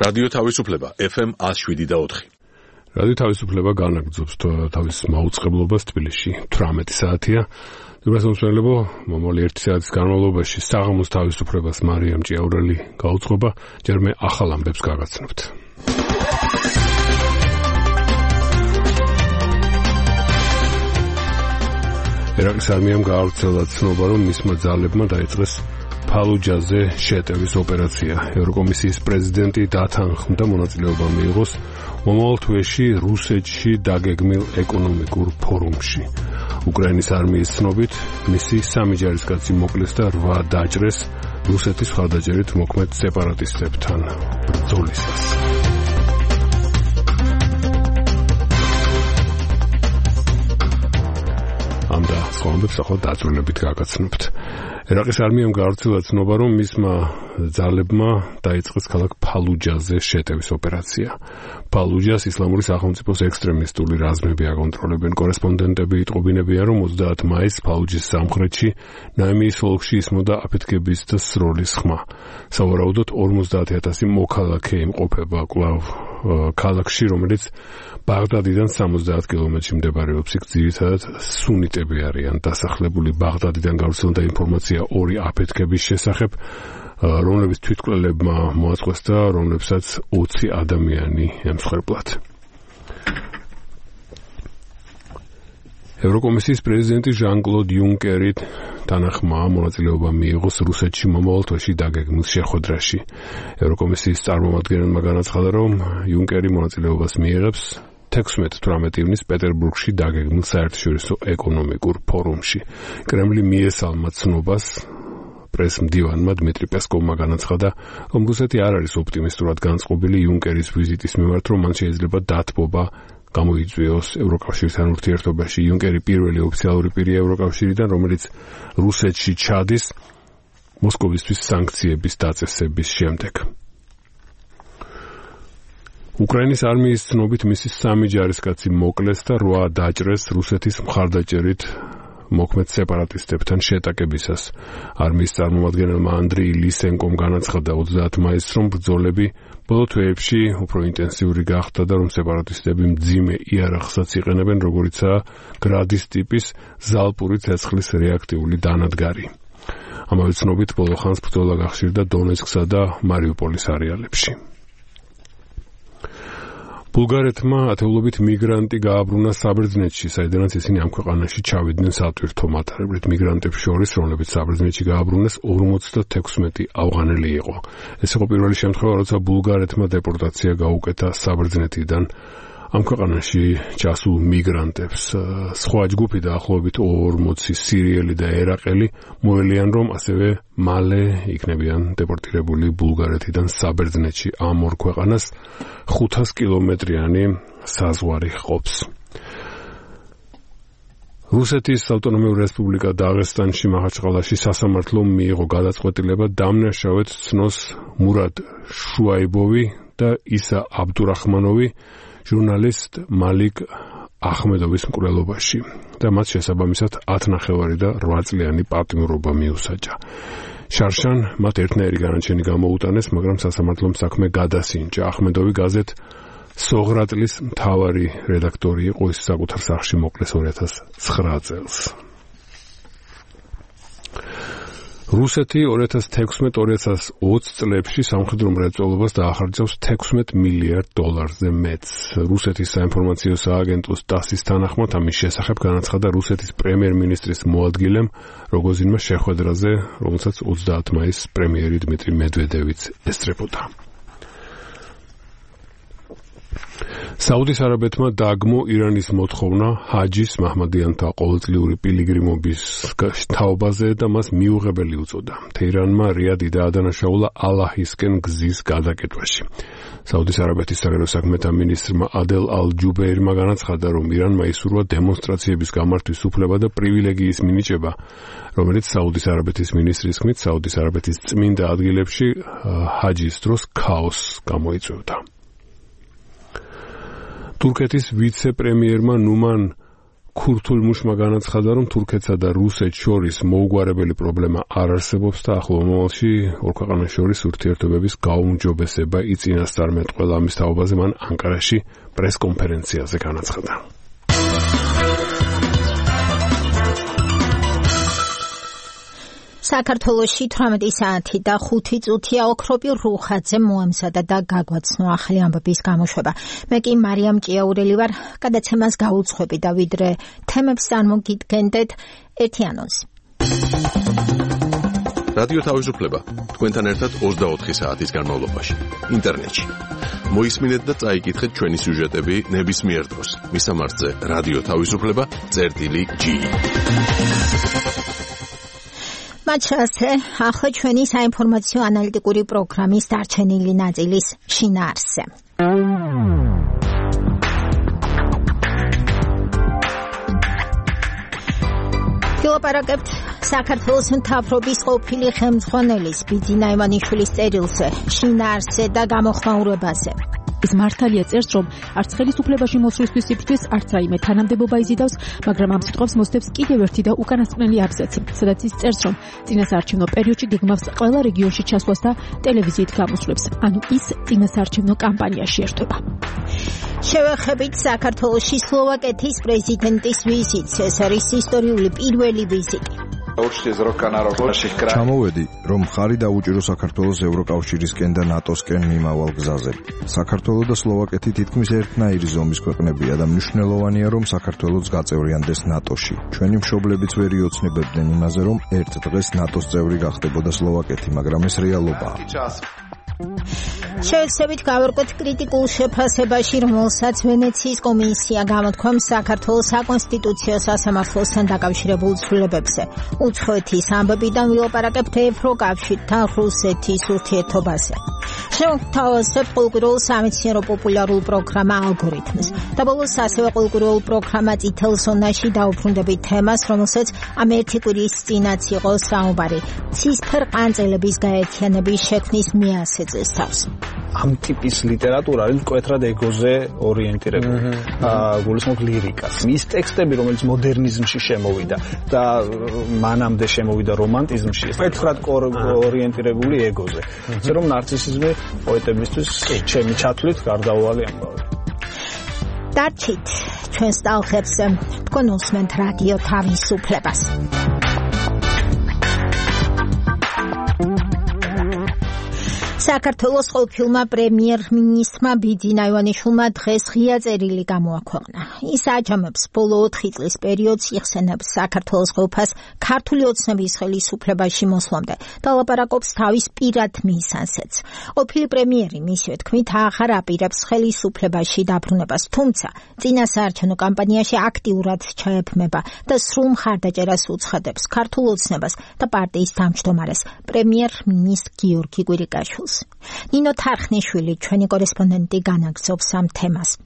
რადიო თავისუფლება FM 107.4. რადიო თავისუფლება განაგრძობს თავის მაუწყებლობას თბილისში 18 საათია. უბრალოდ მომავალი 1 საათის განმავლობაში საღამოს თავისუფლებას მარიამ ჭიაურელი გაუძღობა, ჯერ მე ახალ ამბებს გაგაცნობთ. ერაყის არმიამ გაავრცელა ცნობა, რომ მისმა ძალებმა დაიწყეს ფალუჯაზე შეტევის ოპერაცია. ევროკომისიის პრეზიდენტი დათანხმდა მონაწილეობა მიიღოს მომავალ თვეში რუსეთში დაგეგმილ ეკონომიკურ ფორუმში. უკრაინის არმიის ცნობით, მისი 3 ჯარისკაცი მოკლეს და 8 დაჭრეს რუსეთის მხარდაჭერით მოქმედ სეპარატისტებთან ბრძოლისას. ამ და სხვა ამბებს ახლა დაწვრილებით გაგაცნობთ. ერაყის არმიამ გაავრცელა ცნობა, რომ მისმა ძალებმა დაიწყეს ქალაქ ფალუჯაზე შეტევის ოპერაცია. ფალუჯას ისლამური სახელმწიფოს ექსტრემისტული რაზმები აკონტროლებენ. კორესპონდენტები იტყობინებიან, რომ 30 მაისს ფალუჯის სამხრეთში ნაიმიის ოლქში ისმოდა აფეთქების და სროლის ხმა. სავარაუდოდ 50,000 მოქალაქე იმყოფება კვლავ ქალაქში, რომელიც ბაღდადიდან 70 კილომეტრში მდებარეობს. იქ ძირითადად სუნიტები არიან დასახლებული. ბაღდადიდან გავრცელდა ინფორმაცია 2 აფეთქების შესახებ, რომლებიც თვითმკვლელებმა მოაწყვეს და რომლებსაც 20 ადამიანი ემსხვერპლათ. ევროკომისიის პრეზიდენტი ჟან-კლოდ იუნკერი თანახმა მონაწილეობა მიიღოს რუსეთში მომავალ თვეში დაგეგმილ შეხვედრაში. ევროკომისიის წარმომადგენელმა განაცხადა, რომ იუნკერი მონაწილეობას მიიღებს 16-18 ივნის პეტერბურგში დაგეგმილ საერთაშორისო ეკონომიკურ ფორუმში. კრემლი მიესალმა ცნობას. პრესმდივანმა დმიტრი პესკოვმა განაცხადა, რომ რუსეთი არ არის ოპტიმისტურად განწყობილი იუნკერის ვიზიტის მიმართ, რომ მან შეიძლება დათბობა გამოიწვიოს ევროკავშირთან ურთიერთობაში. იუნკერი პირველი ოფიციალური პირია ევროკავშირიდან, რომელიც რუსეთში ჩადის მოსკოვისთვის სანქციების დაწესების შემდეგ. უკრაინის არმიის ცნობით მისი 3 ჯარისკაცი მოკლეს და 8 დაჭრეს რუსეთის მხარდაჭერით მოქმედ სეპარატისტებთან შეტაკებისას. არმიის წარმომადგენელმა ანდრეი ლისენკომ განაცხადა 30 მაისს, რომ ბრძოლები ბოლო თვეებში უფრო ინტენსიური გახდა და რომ სეპარატისტები მძიმე იარაღსაც იყენებენ, როგორიცაა გრადის ტიპის ზალპური ცეცხლის რეაქტიული დანადგარი. ამავე ცნობით ბოლო ხანს ბრძოლა გახშირდა დონეცკსა და მარიუპოლის არეალებში. ბულგარეთმა ათეულობით მიგრანტი გააბრუნა საბერძნეთში, საიდანაც ისინი ამ ქვეყანაში ჩავიდნენ სატვირთო მატარებლით. მიგრანტებს შორის, რომლებიც საბერძნეთში გააბრუნეს, 56 ავღანელი იყო. ეს იყო პირველი შემთხვევა, როცა ბულგარეთმა დეპორტაცია გაუკეთა საბერძნეთიდან ამ ქვეყანაში ჩასულ მიგრანტებს. სხვა ჯგუფი დაახლოებით 40 სირიელი და ერაყელი მოელიან, რომ ასევე მალე იქნებიან დეპორტირებული ბულგარეთიდან საბერძნეთში. ამ ორ ქვეყანას 500 კილომეტრიანი საზღვარი ჰყოფს. რუსეთის ავტონომიური რესპუბლიკა დაღესტანში მახაჩყალაში სასამართლომ მიიღო გადაწყვეტილება დამნაშავედ ცნოს მურად შუაიბოვი და ისა აბდურახმანოვი ჟურნალისტ მალიკ ახმედოვის მკვლელობაში და მათ შესაბამისად 10 ნახევარი და 8 წლიანი პატიმრობა მიუსაჯა. შარშან მათ ერთნაირი განაჩენი გამოუტანეს, მაგრამ სასამართლომ საქმე გადასინჯა. ახმედოვი გაზეთ სოღრატლის მთავარი რედაქტორი იყო, ის საკუთარ სახლში მოკლეს 2009 წელს. რუსეთი 2016-2020 წლებში სამხედრო მრეწველობას დაახარჯავს $16 მილიარდზე მეტს. რუსეთის საინფორმაციო სააგენტოს TASS-ის თანახმად ამის შესახებ განაცხადა რუსეთის პრემიერ-მინისტრის მოადგილემ როგოზინმა შეხვედრაზე, რომელსაც 30 მაისს პრემიერი დმიტრი მედვედევიც ესწრებოდა. საუდის არაბეთმა დაგმო ირანის მოთხოვნა ჰაჯის მაჰმადიანთა ყოველწლიური პილიგრიმობის თაობაზე და მას მიუღებელი უწოდა. თეირანმა რიადი დაადანაშაულა ალაჰისკენ გზის გადაკეთვაში. საუდის არაბეთის საგარეო საქმეთა მინისტრმა ადელ ალ-ჯუბეირმა განაცხადა, რომ ირანმა ისურვა დემონსტრაციების გამართვის უფლება და პრივილეგიის მინიჭება, რომელიც საუდის არაბეთის მინისტრის თქმით, საუდის არაბეთის წმინდა ადგილებში ჰაჯის დროს ქაოსს გამოიწვევდა. თურქეთის ვიცე-პრემიერმა ნუმან ქურთულ მუშმა განაცხადა, რომ თურქეთსა და რუსეთს შორის მოუგვარებელი პრობლემა არ არსებობს და ახლო მომავალში ორ ქვეყანას შორის ურთიერთობების გაუმჯობესება იწინასწარმეტყველა. ამის თაობაზე მან ანკარაში პრესკონფერენციაზე განაცხადა. საქართველოში 18 საათი და 5 წუთია ოქროპი რუხაძე მოამზადა და გაგვაცნო ახალი ამბების გამოშვება. მე კი მარიამ ჭიაურელი ვარ, გადაცემას გაუძღვები და ვიდრე თემებს წარმოგიდგენდეთ ერთი ანონსი. რადიო თავისუფლება თქვენთან ერთად 24 საათის განმავლობაში ინტერნეტში. მოისმინეთ და წაიკითხეთ ჩვენი სიუჟეტები ნებისმიერ დროს. მისამართზე რადიო თავისუფლება.gi. მაჩასე ახლა ჩვენი საინფორმაციო ანალიტიკური პროგრამის დარჩენილი ნაწილის შინაარსზე. ვილაპარაკებთ საქართველოს მთავრობის ყოფილი ხელმძღვანელის ბიძინა ივანიშვილის წერილზე, შინაარსზე და გამოხმაურებაზე. ის მართალია წერს, რომ არც ხელისუფლებაში მოსვლისთვის სიფრთხილს, არც რაიმე თანამდებობა იზიდავს, მაგრამ ამ სიტყვებს მოსდევს კიდევ ერთი და უკანასკნელი აბზაცი, სადაც ის წერს, რომ წინასაარჩევნო პერიოდში გეგმავს ყველა რეგიონში ჩასვლას და ტელევიზიით გამოსვლებს. ანუ ის წინასაარჩევნო კამპანიაში ერთვება. შევეხებით საქართველოში სლოვაკეთის პრეზიდენტის ვიზიტს. ეს არის ისტორიული პირველი ვიზიტი. ჩამოვედი, რომ ხარი დაუჭირო საქართველოს ევროკავშირისკენ და ნატოსკენ მიმავალ გზაზე. საქართველო და სლოვაკეთი თითქმის ერთნაირი ზომის ქვეყნებია და მნიშვნელოვანია, რომ საქართველოც გაწევრიანდეს ნატოში. ჩვენი მშობლებიც ვერ იოცნებებდნენ იმაზე, რომ ერთ დღეს ნატოს წევრი გახდებოდა სლოვაკეთი, მაგრამ ეს რეალობაა. შევეცდებით გავერკვეთ კრიტიკულ შეფასებაში, რომელსაც ვენეციის კომისია გამოთქვამს საქართველოს საკონსტიტუციო სასამართლოსთან დაკავშირებულ ცვლილებებზე. უცხოეთის ამბებიდან ვილაპარაკებთ ევროკავშირთან რუსეთის ურთიერთობაზე. შევთავაზებთ ყოველკვირეულ სამეცნიერო პოპულარულ პროგრამა ალგორითმს. და ბოლოს ასევე ყოველკვირეულ პროგრამა წითელ ზონაში დაუბრუნდებით თემას, რომელსაც ამ ერთი კვირის წინაც იყო საუბარი. ცისფერ ყანწელების გაერთიანების შექმნის მიასეწეს თავს. ამ ტიპის ლიტერატურა არის მკვეთრად ეგოზე ორიენტირებული. გულისხმობ ლირიკას. მის ტექსტები, რომელიც მოდერნიზმში შემოვიდა და მანამდე შემოვიდა რომანტიზმში, მკვეთრად ორიენტირებული ეგოზე. ისე რომ ნარცისიზმი პოეტებისთვის ჩემი ჩათვლით გარდაუვალი ამბავი. დარჩით ჩვენს ტალღებს, თქვენ უსმენთ რადიო თავისუფლებას. საქართველოს ყოფილმა პრემიერ-მინისტრმა ბიძინა ივანიშვილმა დღეს ღია წერილი გამოაქვეყნა. ის აჯამებს ბოლო 4 წლის პერიოდს, იხსენებს საქართველოს ყოფას ქართული ოცნების ხელისუფლებაში მოსვლამდე და ლაპარაკობს თავის პირად მისანსეც. ყოფილი პრემიერი მისივე თქმით აღარ აპირებს ხელისუფლებაში დაბრუნებას, თუმცა წინასაარჩევნო კამპანიაში აქტიურად ჩაეფმება და სრულ მხარდაჭერას უცხადებს ქართულ ოცნებას და პარტიის თავმჯდომარეს პრემიერ-მინისტრ გიორგი კვირიკაშვილს. ნინო თარხნიშვილი, ჩვენი კორესპონდენტი, განაგრძობს ამ თემას.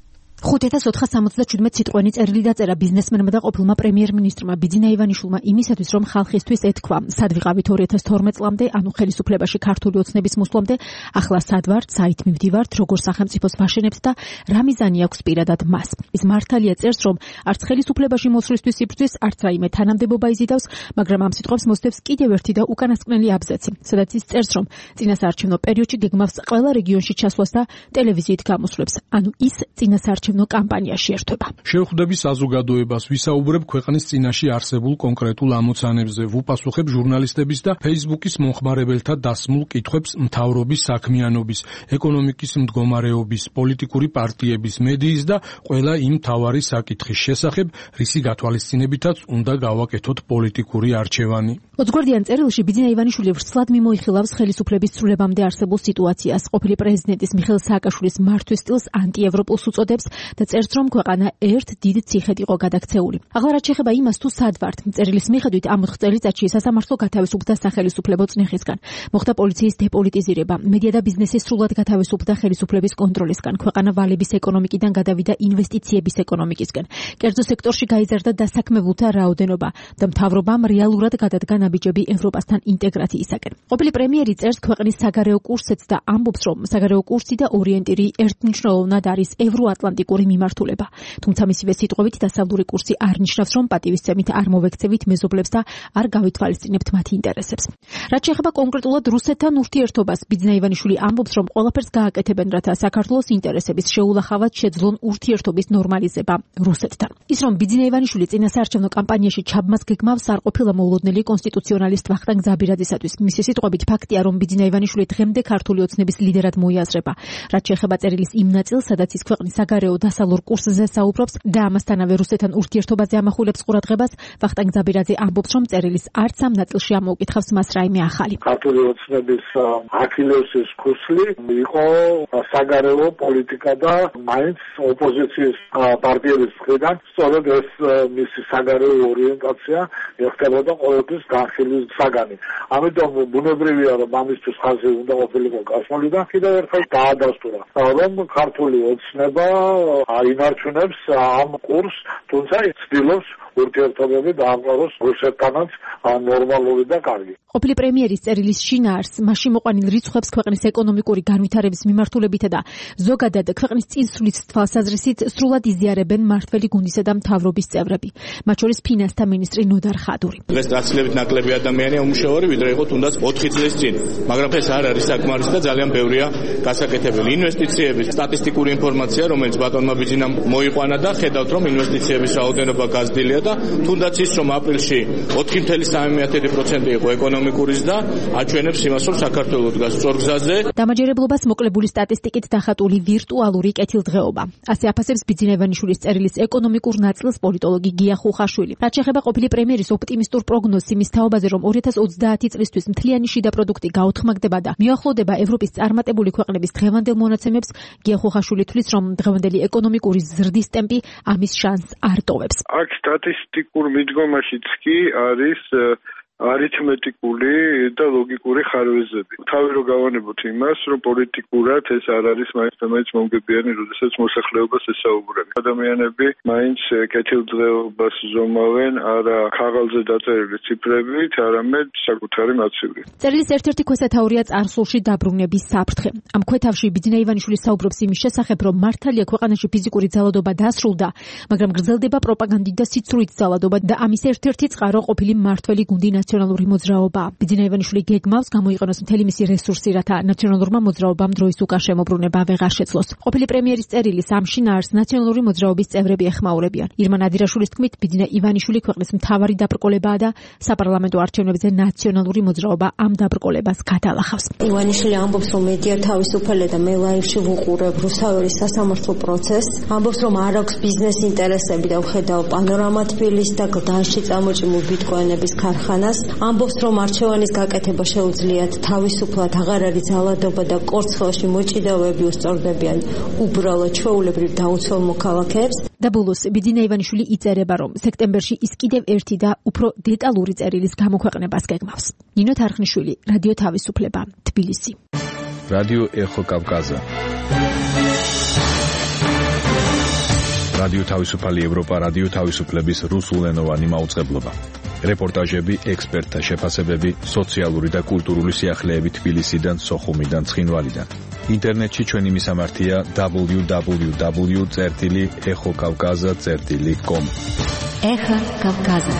5477 სიტყვენი წერილი დაწერა ბიზნესმენმა და ყოფილმა პრემიერ-მინისტრმა ბიძინა ივანიშვილმა იმისათვის, რომ ხალხისთვის ეთქვა, სად ვიყავით 2012 წლამდე, ანუ ხელისუფლებაში ქართული ოცნების მოსვლამდე, ახლა სად ვართ, საით მივდივართ, როგორ სახელმწიფოს ვაშენებთ და რა მიზანი აქვს პირადად მას. ის მართალია წერს, რომ არც ხელისუფლებაში მოსვლისთვის სიფრთხილს, არც რაიმე თანამდებობა იზიდავს, მაგრამ ამ სიტყვებს მოსდევს კიდევ ერთი და უკანასკნელი აბზაცი, სადაც ის წერს, რომ წინასაარჩევნო პერიოდში გეგმავს ყველა რეგიონში ჩასვლას და ტელევიზიით გამოსვლებს. ანუ ის წინასაარჩევნო კამპანიაში ერთვება. შევხვდები საზოგადოებას, ვისაუბრებ ქვეყნის წინაშე არსებულ კონკრეტულ ამოცანებზე, ვუპასუხებ ჟურნალისტების და Facebook-ის მომხმარებელთა დასმულ კითხვებს მთავრობის საქმიანობის, ეკონომიკის მდგომარეობის, პოლიტიკური პარტიების, მედიის და ყველა იმ მთავარი საკითხის შესახებ, რისი გათვალისწინებითაც უნდა გავაკეთოთ პოლიტიკური არჩევანი. 20 გვერდიან წერილში ბიძინა ივანიშვილი ვრცლად მიმოიხილავს ხელისუფლების ცვლილებამდე არსებულ სიტუაციას, ყოფილი პრეზიდენტის მიხეილ სააკაშვილის მართვის სტილს ანტიევროპულს უწოდებს და წერს, რომ ქვეყანა ერთ დიდ ციხედ იყო გადაქცეული. ახლა რაც შეეხება იმას, თუ სად ვართ, წერილის მიხედვით ამ 4 წელიწადში სასამართლო გათავისუფლდა სახელისუფლებო წნეხისგან. მოხდა პოლიციის დეპოლიტიზირება, მედია და ბიზნესი სრულად გათავისუფლდა ხელისუფლების კონტროლისგან. ქვეყანა ვალების ეკონომიკიდან გადავიდა ინვესტიციების ეკონომიკისკენ. კერძო სექტორში გაიზარდა დასაქმებულთა რაოდენობა და მთავრობამ რეალურად გადადგა ნაბიჯები ევროპასთან ინტეგრაციისაკენ. ყოფილი პრემიერი წერს ქვეყნის საგარეო კურსებს და ამბობს, რომ საგარეო კურსი და ორიენტირი ერთმნიშვნელოვნად არის ევროატლანტიკურ პრაგმატიკური მიმართულება. თუმცა მისივე სიტყვებით დასავლური კურსი არ ნიშნავს, რომ პატივისცემით არ მოვექცევით მეზობლებს და არ გავითვალისწინებთ მათი ინტერესებს. რაც შეეხება კონკრეტულად რუსეთთან ურთიერთობას, ბიძინა ივანიშვილი ამბობს, რომ ყველაფერს გააკეთებენ, რათა საქართველოს ინტერესების შეულახავად შეძლონ ურთიერთობის ნორმალიზება რუსეთთან. ის რომ ბიძინა ივანიშვილი წინასაარჩევნო კამპანიაში ჩაბმას გეგმავს, არ ყოფილა მოულოდნელი კონსტიტუციონალისტ ვახტანგ ზაბირაძისათვის. მისი სიტყვებით ფაქტია, რომ ბიძინა ივანიშვილი დღემდე ქართული ოცნების ლიდერად მოიაზრება. რაც შეეხება წერილის იმ ნაწილს, სადაც ის ქვეყნის საგარეო დასალურ კურსზე საუბრობს და ამასთანავე რუსეთთან ურთიერთობაზე ამახვილებს ყურადღებას, ვახტანგ ზაბირაძე ამბობს, რომ წერილის არც ამ ნაწილში ამოუკითხავს მას რაიმე ახალი. ქართული ოცნების აქილევსის ქუსლი იყო საგარეო პოლიტიკა და მაინც ოპოზიციის პარტიების მხრიდან სწორედ ეს მისი საგარეო ორიენტაცია ეხებოდა ყოველთვის განხილვის საგანი. ამიტომ ბუნებრივია, რომ ამისთვის ხაზი უნდა ყოფილიყო გასმული და კიდევ ერთხელ დაადასტურა, რომ ქართული ოცნება აინარჩუნებს ამ კურსს, თუმცა ცდილობს ურთიერთობები დაამყაროს რუსეთთანაც ნორმალური და კარგი. ყოფილი პრემიერის წერილის შინაარსს მასში მოყვანილ რიცხვებს ქვეყნის ეკონომიკური განვითარების მიმართულებითა და ზოგადად ქვეყნის წინსვლის თვალსაზრისით სრულად იზიარებენ მმართველი გუნდისა და მთავრობის წევრები, მათ შორის ფინანსთა მინისტრი ნოდარ ხადური. დღეს გაცილებით ნაკლები ადამიანია უმუშევარი, ვიდრე იყო თუნდაც 4 წლის წინ, მაგრამ ეს არ არის საკმარისი და ძალიან ბევრია გასაკეთებელი. ინვესტიციების სტატისტიკური ინფორმაცია, რომელიც ბატონმა ბიძინამ მოიყვანა და ხედავთ, რომ ინვესტიციების რაოდენობა გაზრდილია და თუნდაც ის, რომ აპრილში 4.3% იყო ეკონომიკურის და აჩვენებს იმას, რომ საქართველოს დგას სწორ გზაზე. დამაჯერებლობას მოკლებული სტატისტიკით დახატული ვირტუალური კეთილდღეობა. ასე აფასებს ბიძინა ივანიშვილის წერილის ეკონომიკურ ნაწილს პოლიტოლოგი გია ხუხაშვილი. რაც შეეხება ყოფილი პრემიერის ოპტიმისტურ პროგნოზს იმის თაობაზე, რომ 2030 წლისთვის მთლიანი შიდა პროდუქტი გაუთხმაგდება და მიახლოვდება ევროპის წარმატებული ქვეყნების დღევანდელ მონაცემებს, გია ხუხაშვილი თვლის, რომ დღევანდელი ეკონომიკური ზრდის ტემპი ამის შანსს არ ტოვებს. აქ სტატისტიკურ მიდგომაშიც კი არის არითმეტიკული და ლოგიკური ხარვეზები. თავი რო გავანებოთ იმას, რომ პოლიტიკურად ეს არ არის მაინც მომგებიანი, როდესაც მოსახლეობას ესაუბრები. ადამიანები მაინც კეთილდღეობას ზომავენ არა ქაღალდზე დაწერილი ციფრებით, არამედ საკუთარი მაცივრი. წერილის ერთ-ერთი ქვესათაურია წარსულში დაბრუნების საფრთხე. ამ ქვეთავში ბიძინა ივანიშვილი საუბრობს იმის შესახებ, რომ მართალია ქვეყანაში ფიზიკური ძალადობა დასრულდა, მაგრამ გრძელდება პროპაგანდით და სიცრუით ძალადობა და ამის ერთ-ერთი წყარო ყოფილი მმართველი გუნდი ნაციონალური მოძრაობა. ბიძინა ივანიშვილი გეგმავს გამოიყენოს მთელი მისი რესურსი, რათა ნაციონალურმა მოძრაობამ დროის უკან შემოbrunება ვეღარ შეძლოს. ყოფილი პრემიერის წერილის ამ შინაარსს ნაციონალური მოძრაობის წევრები ეხმაურებიან. ირმა ნადირაშვილის თქმით, ბიძინა ივანიშვილი ქვეყნის მთავარი დაბრკოლებაა და საპარლამენტო არჩევნებზე ნაციონალური მოძრაობა ამ დაბრკოლებას გადალახავს. ივანიშვილი ამბობს, რომ მედია თავისუფალი და მე ლაივში ვუყურებ რუსთაველის სასამართლო პროცესს. ამბობს, რომ არ აქვს ბიზნეს ინტერესები და ვხედავ პანორამა თბილისს და გლდანში წამოჭიმულ ბიტკოინების ქარხანას. ამბობს, რომ არჩევანის გაკეთება შეუძლიათ თავისუფლად, აღარ არის ძალადობა და კორცხელში მოჭიდავეები უსწორდებიან უბრალოდ ჩვეულებრივ დაუცველ მოქალაქეებს. და ბოლოს ბიძინა ივანიშვილი იწერება, რომ სექტემბერში ის კიდევ ერთი და უფრო დეტალური წერილის გამოქვეყნებას გეგმავს. ნინო თარხნიშვილი, რადიო თავისუფლება, თბილისი. რადიო ეხო კავკაზა. რადიო თავისუფალი ევროპა, რადიო თავისუფლების რუსულენოვანი მაუწყებლობა. რეპორტაჟები, ექსპერტთა შეფასებები, სოციალური და კულტურული სიახლეები თბილისიდან, სოხუმიდან, ცხინვალიდან. ინტერნეტში ჩვენი მისამართია www.exokavkaza.com. ეხა კავკაზა.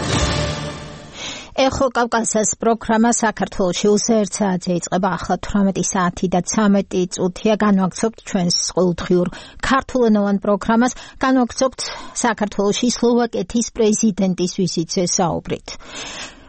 ეხო კავკასიის პროგრამა საქართველოში უზეირ საათზე იწყება. ახლა 18 საათი და 13 წუთია. განვაგრძობთ ჩვენს ყოველდღიურ ქართულენოვან პროგრამას. განვაგრძობთ საქართველოში სლოვაკეთის პრეზიდენტის ვიზიტზე საუბრით.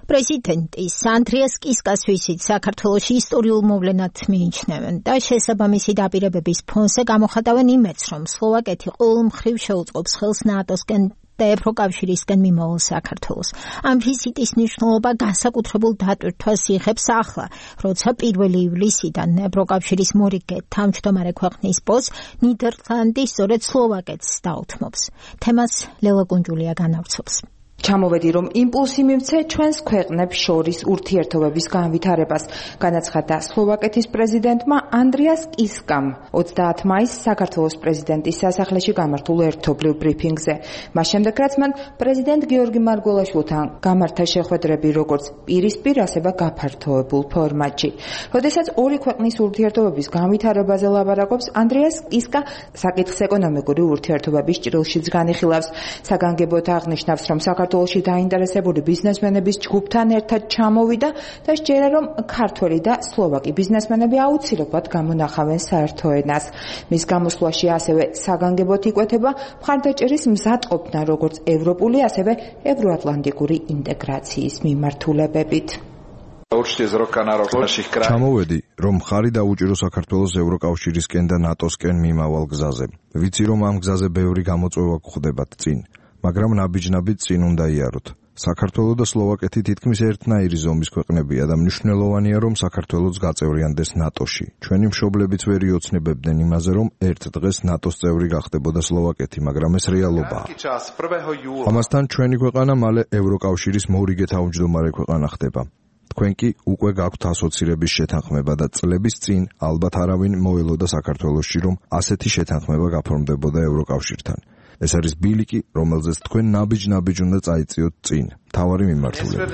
პრეზიდენტის ანდრიას კისკას ვიზიტ საქართველოში ისტორიულ მოვლენად მიიჩნევენ და შესაბამისი დაპირებების ფონზე გამოხატავენ იმედს, რომ სლოვაკეთი ყოველ მხრივ შეუწყობს ხელს ნატოსკენ და ევროკავშირისკენ მიმავალ საქართველოს. ამ ვიზიტის მნიშვნელობა განსაკუთრებულ დატვირთვას იღებს ახლა, როცა 1 ივლისიდან ევროკავშირის მორიგე თავმჯდომარე ქვეყნის პოსტს ნიდერლანდი სწორედ სლოვაკეთს დაუთმობს. თემას ლელა კუნჯულია განავრცობს. ჩამოვედი, რომ იმპულსი მივცე ჩვენს ქვეყნებს შორის ურთიერთობების განვითარებას, განაცხადა სლოვაკეთის პრეზიდენტმა ანდრიას კისკამ 30 მაისს საქართველოს პრეზიდენტის სასახლეში გამართულ ერთობლივ ბრიფინგზე. მას შემდეგ, რაც მან პრეზიდენტ გიორგი მარგველაშვილთან გამართა შეხვედრები როგორც პირისპირ, ასევე გაფართოებულ ფორმატში. როდესაც ორი ქვეყნის ურთიერთობების განვითარებაზე ლაპარაკობს, ანდრიას კისკა საკითხს ეკონომიკური ურთიერთობების ჭრილშიც განიხილავს. საგანგებოდ აღნიშნავს, რომ საქართველოში დაინტერესებული ბიზნესმენების ჯგუფთან ერთად ჩამოვიდა და სჯერა, რომ ქართველი და სლოვაკი ბიზნესმენები აუცილებლად გამონახავენ საერთო ენას. მის გამოსვლაში ასევე საგანგებოდ იკვეთება მხარდაჭერის მზადყოფნა როგორც ევროპული, ასევე ევროატლანტიკური ინტეგრაციის მიმართულებებით. ჩამოვედი, რომ მხარი დაუჭირო საქართველოს ევროკავშირისკენ და ნატოსკენ მიმავალ გზაზე. ვიცი, რომ ამ გზაზე ბევრი გამოწვევა გვხვდებათ წინ, მაგრამ ნაბიჯ-ნაბიჯ წინ უნდა იაროთ. საქართველო და სლოვაკეთი თითქმის ერთნაირი ზომის ქვეყნებია და მნიშვნელოვანია, რომ საქართველოც გაწევრიანდეს ნატოში. ჩვენი მშობლებიც ვერ იოცნებებდნენ იმაზე, რომ ერთ დღეს ნატოს წევრი გახდებოდა სლოვაკეთი, მაგრამ ეს რეალობაა. ამასთან ჩვენი ქვეყანა მალე ევროკავშირის მორიგე თავმჯდომარე ქვეყანა ხდება. თქვენ კი უკვე გაქვთ ასოცირების შეთანხმება და წლების წინ ალბათ არავინ მოელოდა საქართველოში, რომ ასეთი შეთანხმება გაფორმდებოდა ევროკავშირთან. ეს არის ბილიკი, რომელზეც თქვენ ნაბიჯ-ნაბიჯ უნდა წაიწიოთ წინ. თავარი მიმართულებით.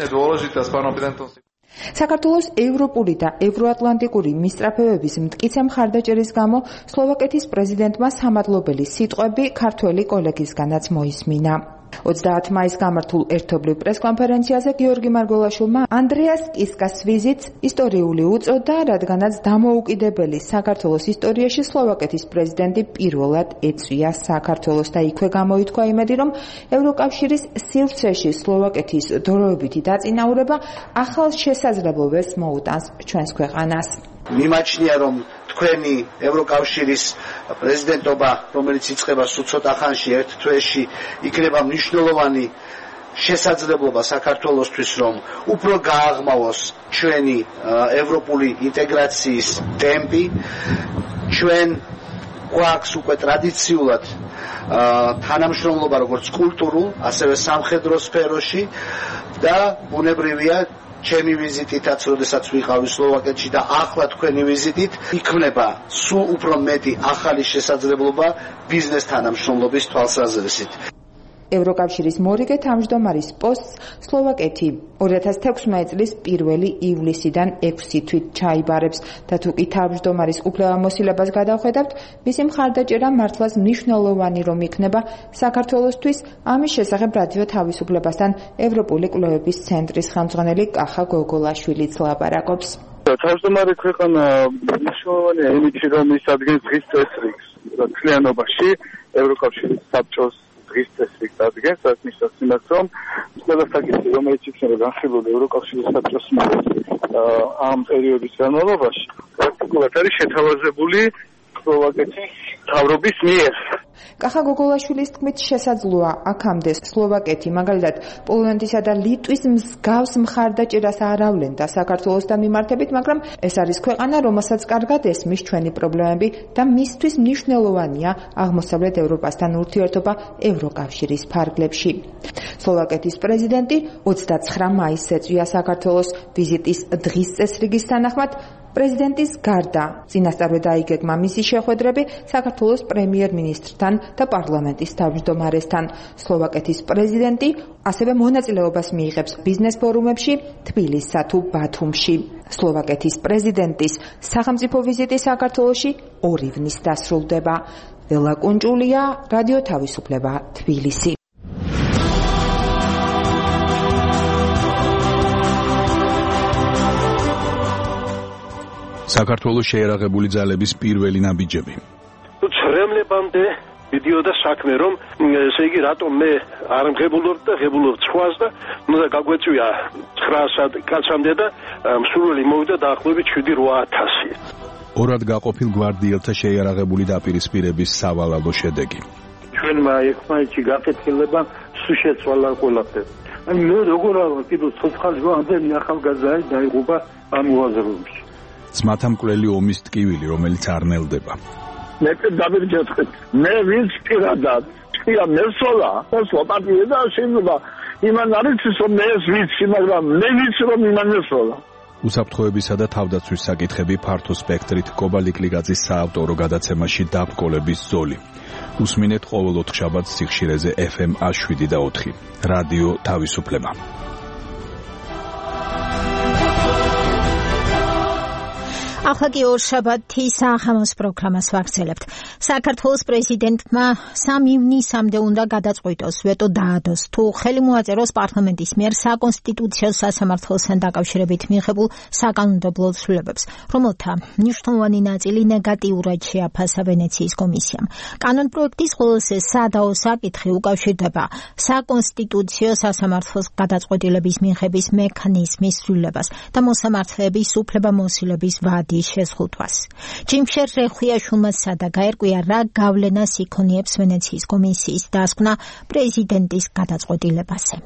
საქართველოს ევროპული და ევროატლანტიკური მისწრაფებების მტკიცე მხარდაჭერის გამო სლოვაკეთის პრეზიდენტმა სამადლობელი სიტყვები ქართველი კოლეგისგანაც მოისმინა. 30 მაისს გამართულ ერთობლივ პრესკონფერენციაზე გიორგი მარგველაშვილმა ანდრიას კისკას ვიზიტს ისტორიული უწოდა, რადგანაც დამოუკიდებელი საქართველოს ისტორიაში სლოვაკეთის პრეზიდენტი პირველად ეწვია საქართველოს და იქვე გამოითქვა იმედი, რომ ევროკავშირის სივრცეში სლოვაკეთის დროებითი დაწინაურება ახალ შესაძლებლობებს მოუტანს ჩვენს ქვეყანას. მიმაჩნია, რომ თქვენი ევროკავშირის პრეზიდენტობა, რომელიც იწყება სულ ცოტა ხანში, ერთ თვეში, იქნება მნიშვნელოვანი შესაძლებლობა საქართველოსთვის, რომ უფრო გააღმავოს ჩვენი ევროპული ინტეგრაციის ტემპი. ჩვენ გვაქვს უკვე ტრადიციულად თანამშრომლობა როგორც კულტურულ, ასევე სამხედრო სფეროში და ბუნებრივია ჩემი ვიზიტითაც, როდესაც ვიყავი სლოვაკეთში და ახლა თქვენი ვიზიტით, იქმნება სულ უფრო მეტი ახალი შესაძლებლობა ბიზნეს თანამშრომლობის თვალსაზრისით. ევროკავშირის მორიგე თავმჯდომარის პოსტს სლოვაკეთი 2016 წლის 1 ივლისიდან 6 თვით ჩაიბარებს და თუ კი თავმჯდომარის უფლებამოსილებას გადავხედავთ, მისი მხარდაჭერა მართლაც მნიშვნელოვანი რომ იქნება საქართველოსთვის. ამის შესახებ რადიო თავისუფლებასთან ევროპული კვლევების ცენტრის ხელმძღვანელი კახა გოგოლაშვილიც ლაპარაკობს. თავმჯდომარე ქვეყანა მნიშვნელოვანია იმით, რომ ის ადგენს დღის წესრიგს მთლიანობაში ევროკავშირის საბჭოს დღის წესრიგს ადგენს, რაც ნიშნავს იმას, რომ ყველა საკითხი, რომელიც იქნება განხილული ევროკავშირის საბჭოს მიერ ამ პერიოდის განმავლობაში, პრაქტიკულად არის შეთავაზებული სლოვაკეთის მთავრობის მიერ. კახა გოგოლაშვილის თქმით შესაძლოა აქამდე სლოვაკეთი მაგალითად პოლონეთისა და ლიტვის მსგავს მხარდაჭერას არ ავლენდა საქართველოსთან მიმართებით, მაგრამ ეს არის ქვეყანა, რომელსაც კარგად ესმის ჩვენი პრობლემები და მისთვის მნიშვნელოვანია აღმოსავლეთ ევროპასთან ურთიერთობა ევროკავშირის ფარგლებში. სლოვაკეთის პრეზიდენტი 29 მაისს ეწვია საქართველოს ვიზიტის დღის წესრიგის თანახმად. პრეზიდენტის გარდა წინასწარვე დაიგეგმა მისი შეხვედრები საქართველოს პრემიერ-მინისტრთან და პარლამენტის თავმჯდომარესთან. სლოვაკეთის პრეზიდენტი ასევე მონაწილეობას მიიღებს ბიზნეს ფორუმებში თბილისსა თუ ბათუმში. სლოვაკეთის პრეზიდენტის სახელმწიფო ვიზიტი საქართველოში 2 ივნის დასრულდება. ველა კუნჭულია, რადიო თავისუფლება, თბილისი. საქართველოს შეერაღებული ძალების პირველი ნაბიჯები. ცრემლებამდე მიდიოდა საქმე, რომ ესე იგი რატომ მე არ მღებულობ და ღებულობ სხვას და უნდა გაგვეწვია 900 კაცამდე და მსურველი მოვიდა დაახლოებით 7-8000. ორად გაყოფილ გვარდიელთა შეიარაღებული დაპირისპირების სავალალო შედეგი. ჩვენმა ერთმანეთში გაკეთილება სულ შეცვალა ყველაფერი. აი მე როგორ არა კიდევ ცოცხალი ამდენი ახალგაზრდა დაიღუპა ამ უაზროებში. ძმათა მკვლელი ომის ტკივილი, რომელიც არ ნელდება. მე დავირჯეთ. მე ვინც პირადად თქვია მესოლა, სლოვაკეთია და შეიძლება იმან არის რომ მე ეს ვიცი, მაგრამ მე ვიცი რომ იმან ესწავლა. უსაფრთხოებისა და თავდაცვის საკითხები ფართო სპექტრით კობა ლიკლიგაძის საავტორო გადაცემაში დაბკოლების ზოლი. უსმინეთ ყოველ 4 შაბათს სიხშირეზე FM 7 და 4. რადიო თავისუფლება. ახლა კი ორშაბათის ახამოს პროგრამას ვაგრძელებთ. საქართველოს პრეზიდენტმა 3 ივნისამდე უნდა გადაწყვიტოს, ვეტო დაადოს, თუ ხელი მოაწეროს პარლამენტის მიერ საკონსტიტუციო სასამართლოსთან დაკავშირებით მიღებულ საკანონმდებლო ცვლილებებს, რომელთა მნიშვნელოვანი ნაწილი ნეგატიურად შეაფასა ვენეციის კომისიამ. კანონპროექტის ყველაზე სადაო საკითხი უკავშირდება საკონსტიტუციო სასამართლოს გადაწყვეტილების მიღების მექანიზმის ცვლილებას და მოსამართლეების უფლებამოსილების ვადის შეზღუდვას. ჯიმშერ რეხვიაშვილმა სადა გაერკვია, რა გავლენას იქონიებს ვენეციის კომისიის დასკვნა პრეზიდენტის გადაწყვეტილებაზე.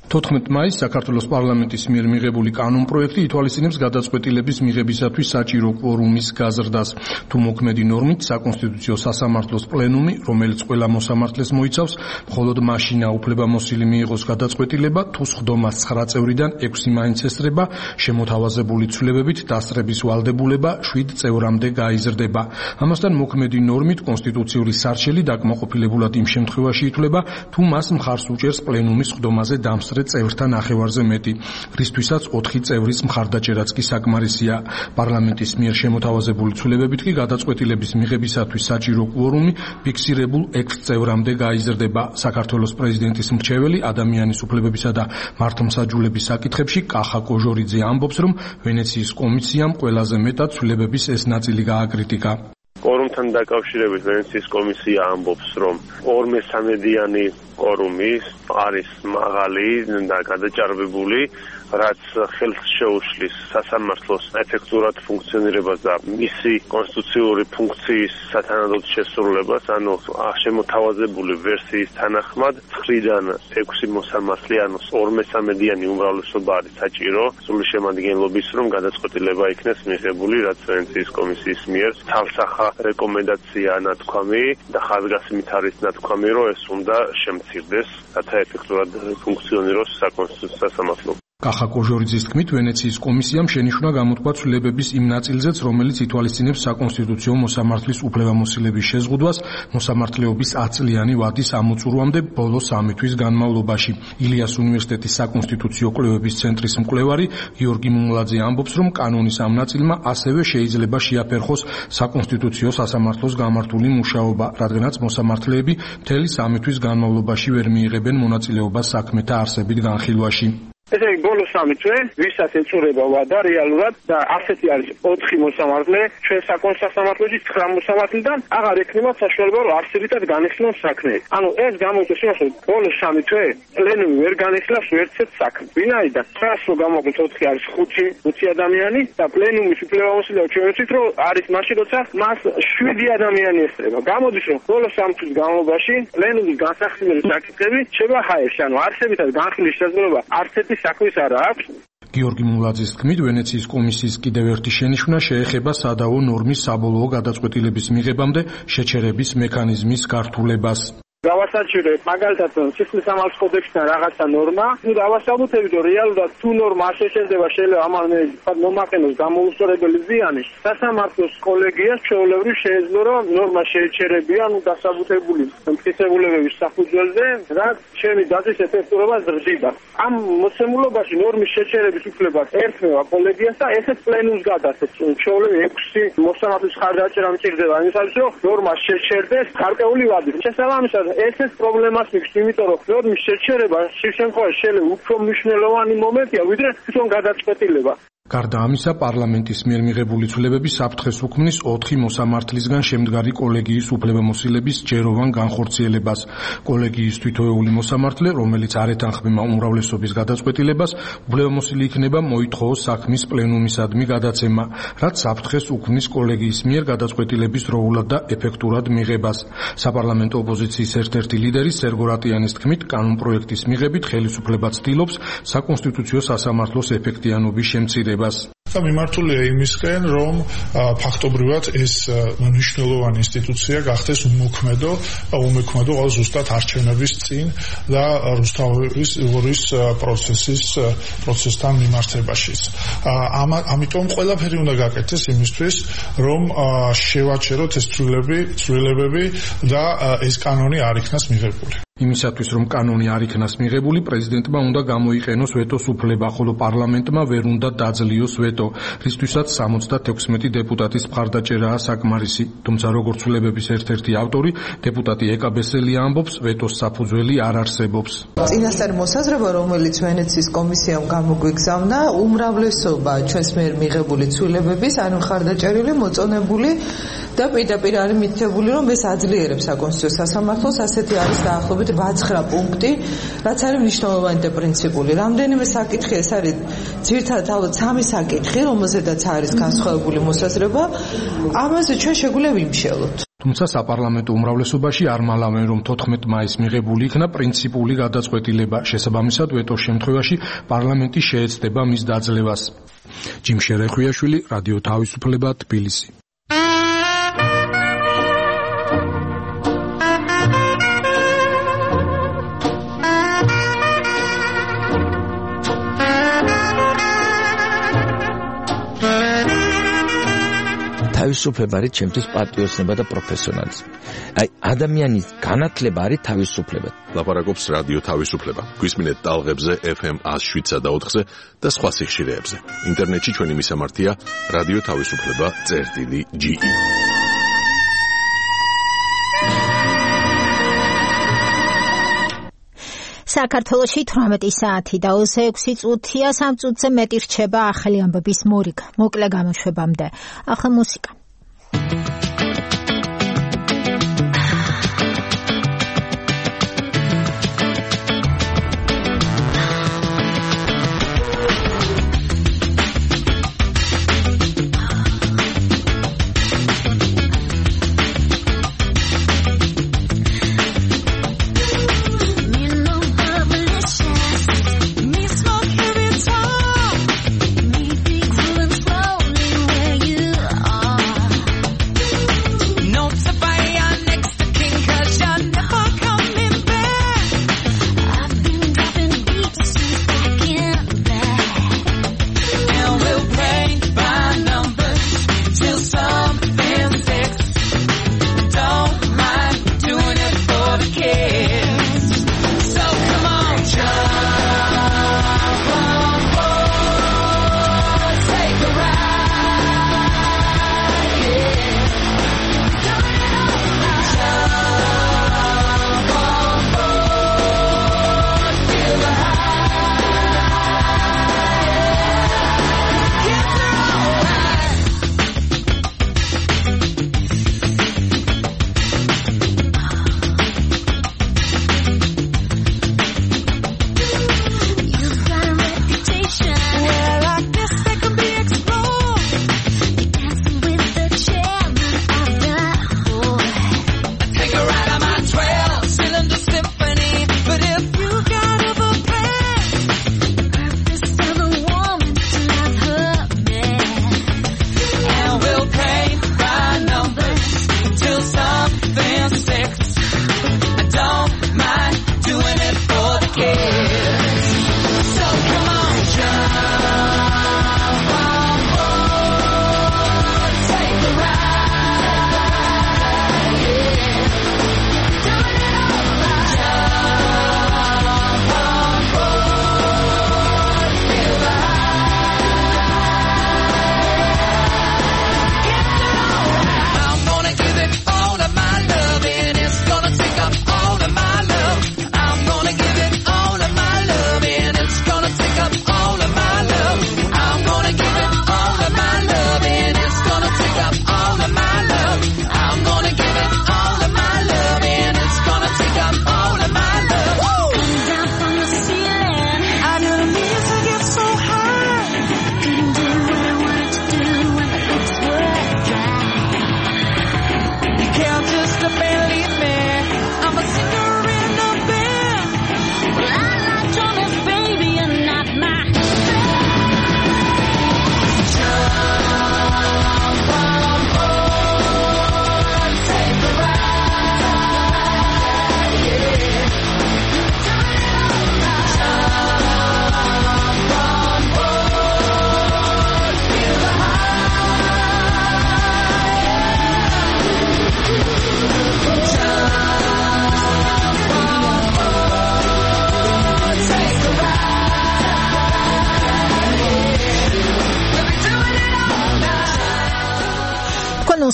14 მაისს საქართველოს პარლამენტის მიერ მიღებული კანონპროექტი ითვალისწინებს გადაწყვეტილების მიღებისათვის საჭირო კვორუმის გაზრდას. თუ მოქმედი ნორმით საკონსტიტუციო სასამართლოს პლენუმი, რომელიც ყველა მოსამართლეს მოიცავს, მხოლოდ მაშინა უფლებამოსილი მიიღოს გადაწყვეტილება, თუ სხდომას 9 წევრიდან 6 მაინც ესწრება, შემოთავაზებული ცვლილებებით დასწრების ვალდებულება 7 წევრამდე გაიზრდება. ამასთან მოქმედი ნორმით კონსტიტუციური სარჩელი დაკმაყოფილებულად იმ შემთხვევაში ითვლება, თუ მას მხარს უჭერს პლენუმის სხდომაზე დამსწრე წევრთან ნახევარზე მეტი, რისთვისაც 4 წევრის მხარდაჭერაც კი საკმარისია. პარლამენტის მიერ შემოთავაზებული ცვლილებებით კი გადაწყვეტილების მიღებისათვის საჭირო კვორუმი ფიქსირებულ 6 წევრამდე გაიზრდება. საქართველოს პრეზიდენტის მრჩეველი ადამიანის უფლებებისა და მართლმსაჯულების საკითხებში კახა კოჟორიძე ამბობს, რომ ვენეციის კომისიამ ყველაზე მეტად ცვლილებების ეს ნაწილი გააკრიტიკა. კორუმთან დაკავშირებით ვენეციის კომისია ამბობს, რომ 2/3-იანი კორუმი არის მაღალი და გადაჭარბებული, რაც ხელს შეუშლის სასამართლოს ეფექტურად ფუნქციონირებას და მისი კონსტიტუციური ფუნქციის სათანადოდ შესრულებას, ანუ შემოთავაზებული ვერსიის თანახმად 9-დან 6 მოსამართლე, ანუ 2/3-იანი უმრავლესობა არის საჭირო სრული შემადგენლობის, რომ გადაწყვეტილება იქნეს მიღებული, რაც ვენეციის კომისიის მიერ თავსახა რეკომენდაცია ნათქვამი და ხაზგასმით არის ნათქვამი, რომ ეს უნდა შემცირდეს, რათა ეფექტურად ფუნქციონიროს საკონსტიტუციო სასამართლო. კახა კოჟორიძის თქმით, ვენეციის კომისიამ შენიშვნა გამოთქვა ცვლილებების იმ ნაწილზეც, რომელიც ითვალისწინებს საკონსტიტუციო მოსამართლის უფლებამოსილების შეზღუდვას მოსამართლეობის 10 წლიანი ვადის ამოწურვამდე ბოლო 3 თვის განმავლობაში. ილიას უნივერსიტეტის საკონსტიტუციო კვლევების ცენტრის მკვლევარი გიორგი მუმლაძე ამბობს, რომ კანონის ამ ნაწილმა ასევე შეიძლება შეაფერხოს საკონსტიტუციო სასამართლოს გამართული მუშაობა, რადგანაც მოსამართლეები მთელი 3 თვის განმავლობაში ვერ მიიღებენ მონაწილეობას საქმეთა არსებით განხილვაში. ესე იგი ბოლო 3 თვე ვისაც ეწურება ვადა რეალურად და ასეთი არის 4 მოსამართლე ჩვენ საკონსტიტუციო 9 მოსამართლიდან აღარ ექნება საშუალება რომ არსებითად განეხილონ საქმე. ანუ ეს გამოიწვევს იმას რომ ბოლო 3 თვე პლენუმი ვერ განეხილავს ვერცერთ საქმეს. ვინაიდან რაც რომ გამოგვიყვეთ 4 არის 5 ადამიანი და პლენუმის უფლებამოსილება ჩვენ ვიცით რომ არის მაშინ როცა მას 7 ადამიანი ესწრება. გამოდის რომ ბოლო 3 თვის განმავლობაში პლენუმის განსახილველი საკითხები შევა ჰაერში, ანუ არსებითად განხილის შესაძლებლობა არსებითად საქმის არ აქვს. გიორგი მულაძის თქმით, ვენეციის კომისიის კიდევ ერთი შენიშვნა შეეხება სადაო ნორმის საბოლოო გადაწყვეტილების მიღებამდე შეჩერების მექანიზმის გართულებას. გავასაჩირებ მაგალითად სისხლის სამართლის კოდექსთან რაღაცა ნორმა, თუ დავასაბუთებით რომ რეალურად თუ ნორმა არ შეჩერდება, შეიძლება ამან მომაყენოს გამოუსწორებელი ზიანი. სასამართლოს კოლეგიას ჩვეულებრივ შეეძლო რომ ნორმა შეეჩერებიან დასაბუთებული მტკიცებულებების საფუძველზე, რაც ჩემი დაზის ეფექტურობას ზრდიდა. ამ მოცემულობაში ნორმის შეჩერების უფლება ერთმევა კოლეგიას და ესეც პლენუმს გადასცემს. ჩვეულებრივ 6 მოსამართლის ხარდაჭერა მჭირდება იმისათვის, რომ ნორმა შეჩერდეს გარკვეული ვადით. შესაბამისად ესეც პრობლემას მიქს, იმიტომ რომ ნორმის შეჩერება შემთხვევაში შეიძლება უფრო მნიშვნელოვანი მომენტია, ვიდრე თვითონ გადაწყვეტილება. გარდა ამისა, პარლამენტის მიერ მიღებული ცვლილებები საფრთხეს უქმნის 4 მოსამართლისგან შემდგარი კოლეგიის უფლებამოსილების ჯეროვან განხორციელებას. კოლეგიის თითოეული მოსამართლე, რომელიც არ ეთანხმება უმრავლესობის გადაწყვეტილებას, უფლებამოსილი იქნება მოითხოვოს საქმის პლენუმისადმი გადაცემა, რაც საფრთხეს უქმნის კოლეგიის მიერ გადაწყვეტილების დროულად და ეფექტურად მიღებას. საპარლამენტო ოპოზიციის ერთ-ერთი ლიდერი სერგო რატიანის თქმით, კანონპროექტის მიღებით ხელისუფლება ცდილობს საკონსტიტუციო სასამართლოს ეფექტიანობის შემცირებას. და მიმართულია იმისკენ, რომ ფაქტობრივად ეს მნიშვნელოვანი ინსტიტუცია გახდეს უმოქმედო ყოველ ზუსტად არჩევნების წინ და რუსთავის პროცესთან მიმართებაშიც. ამიტომ ყველაფერი უნდა გაკეთდეს იმისთვის, რომ შევაჩეროთ ეს ცვლილებები და ეს კანონი არ იქნას მიღებული. იმისათვის, რომ კანონი არ იქნას მიღებული, პრეზიდენტმა უნდა გამოიყენოს ვეტოს უფლება, ხოლო პარლამენტმა ვერ უნდა დაძლიოს ვეტო, რისთვისაც 76 დეპუტატის მხარდაჭერაა საკმარისი. თუმცა როგორც ცვლილებების ერთ-ერთი ავტორი, დეპუტატი ეკა ბესელია ამბობს, ვეტოს საფუძველი არ არსებობს. წინასწარი მოსაზრება, რომელიც ვენეციის კომისიამ გამოგვიგზავნა, უმრავლესობა ჩვენს მიერ მიღებული ცვლილებების, ანუ მხარდაჭერილი, მოწონებული და პირდაპირ არის მითითებული, რომ ეს აძლიერებს საკონსტიტუციო სასამართლოს, ასეთი არის დაახლოებით 8-9 პუნქტი, რაც არის მნიშვნელოვანი და პრინციპული. რამდენიმე საკითხი, ეს არის ძირითადად ალბათ 3 საკითხი, რომელზედაც არის განსხვავებული მოსაზრება, ამაზე ჩვენ შეგვიძლია ვიმშელოთ. თუმცა საპარლამენტო უმრავლესობაში არ მალავენ, რომ 14 მაისს მიღებული იქნა პრინციპული გადაწყვეტილება. შესაბამისად, ვეტოს შემთხვევაში პარლამენტი შეეცდება მის დაძლევას. ჯიმ შერეხვიაშვილი, რადიო თავისუფლება, თბილისი. თავისუფლება არის ჩემთვის პატრიოტიზმი და პროფესიონალიზმი. აი ადამიანის განათლება არის თავისუფლება. ლაპარაკობს რადიო თავისუფლება. გვისმინეთ ტალღებზე FM 107-სა და 4-ზე და სხვა სიხშირეებზე. ინტერნეტში ჩვენი მისამართია რადიო თავისუფლება.ge. საქართველოში 18 საათი და 26 წუთია, 3 წუთზე მეტი რჩება ახალი ამბების მორიგ. მოკლე გამოშვებამდე. ახლა მუსიკა.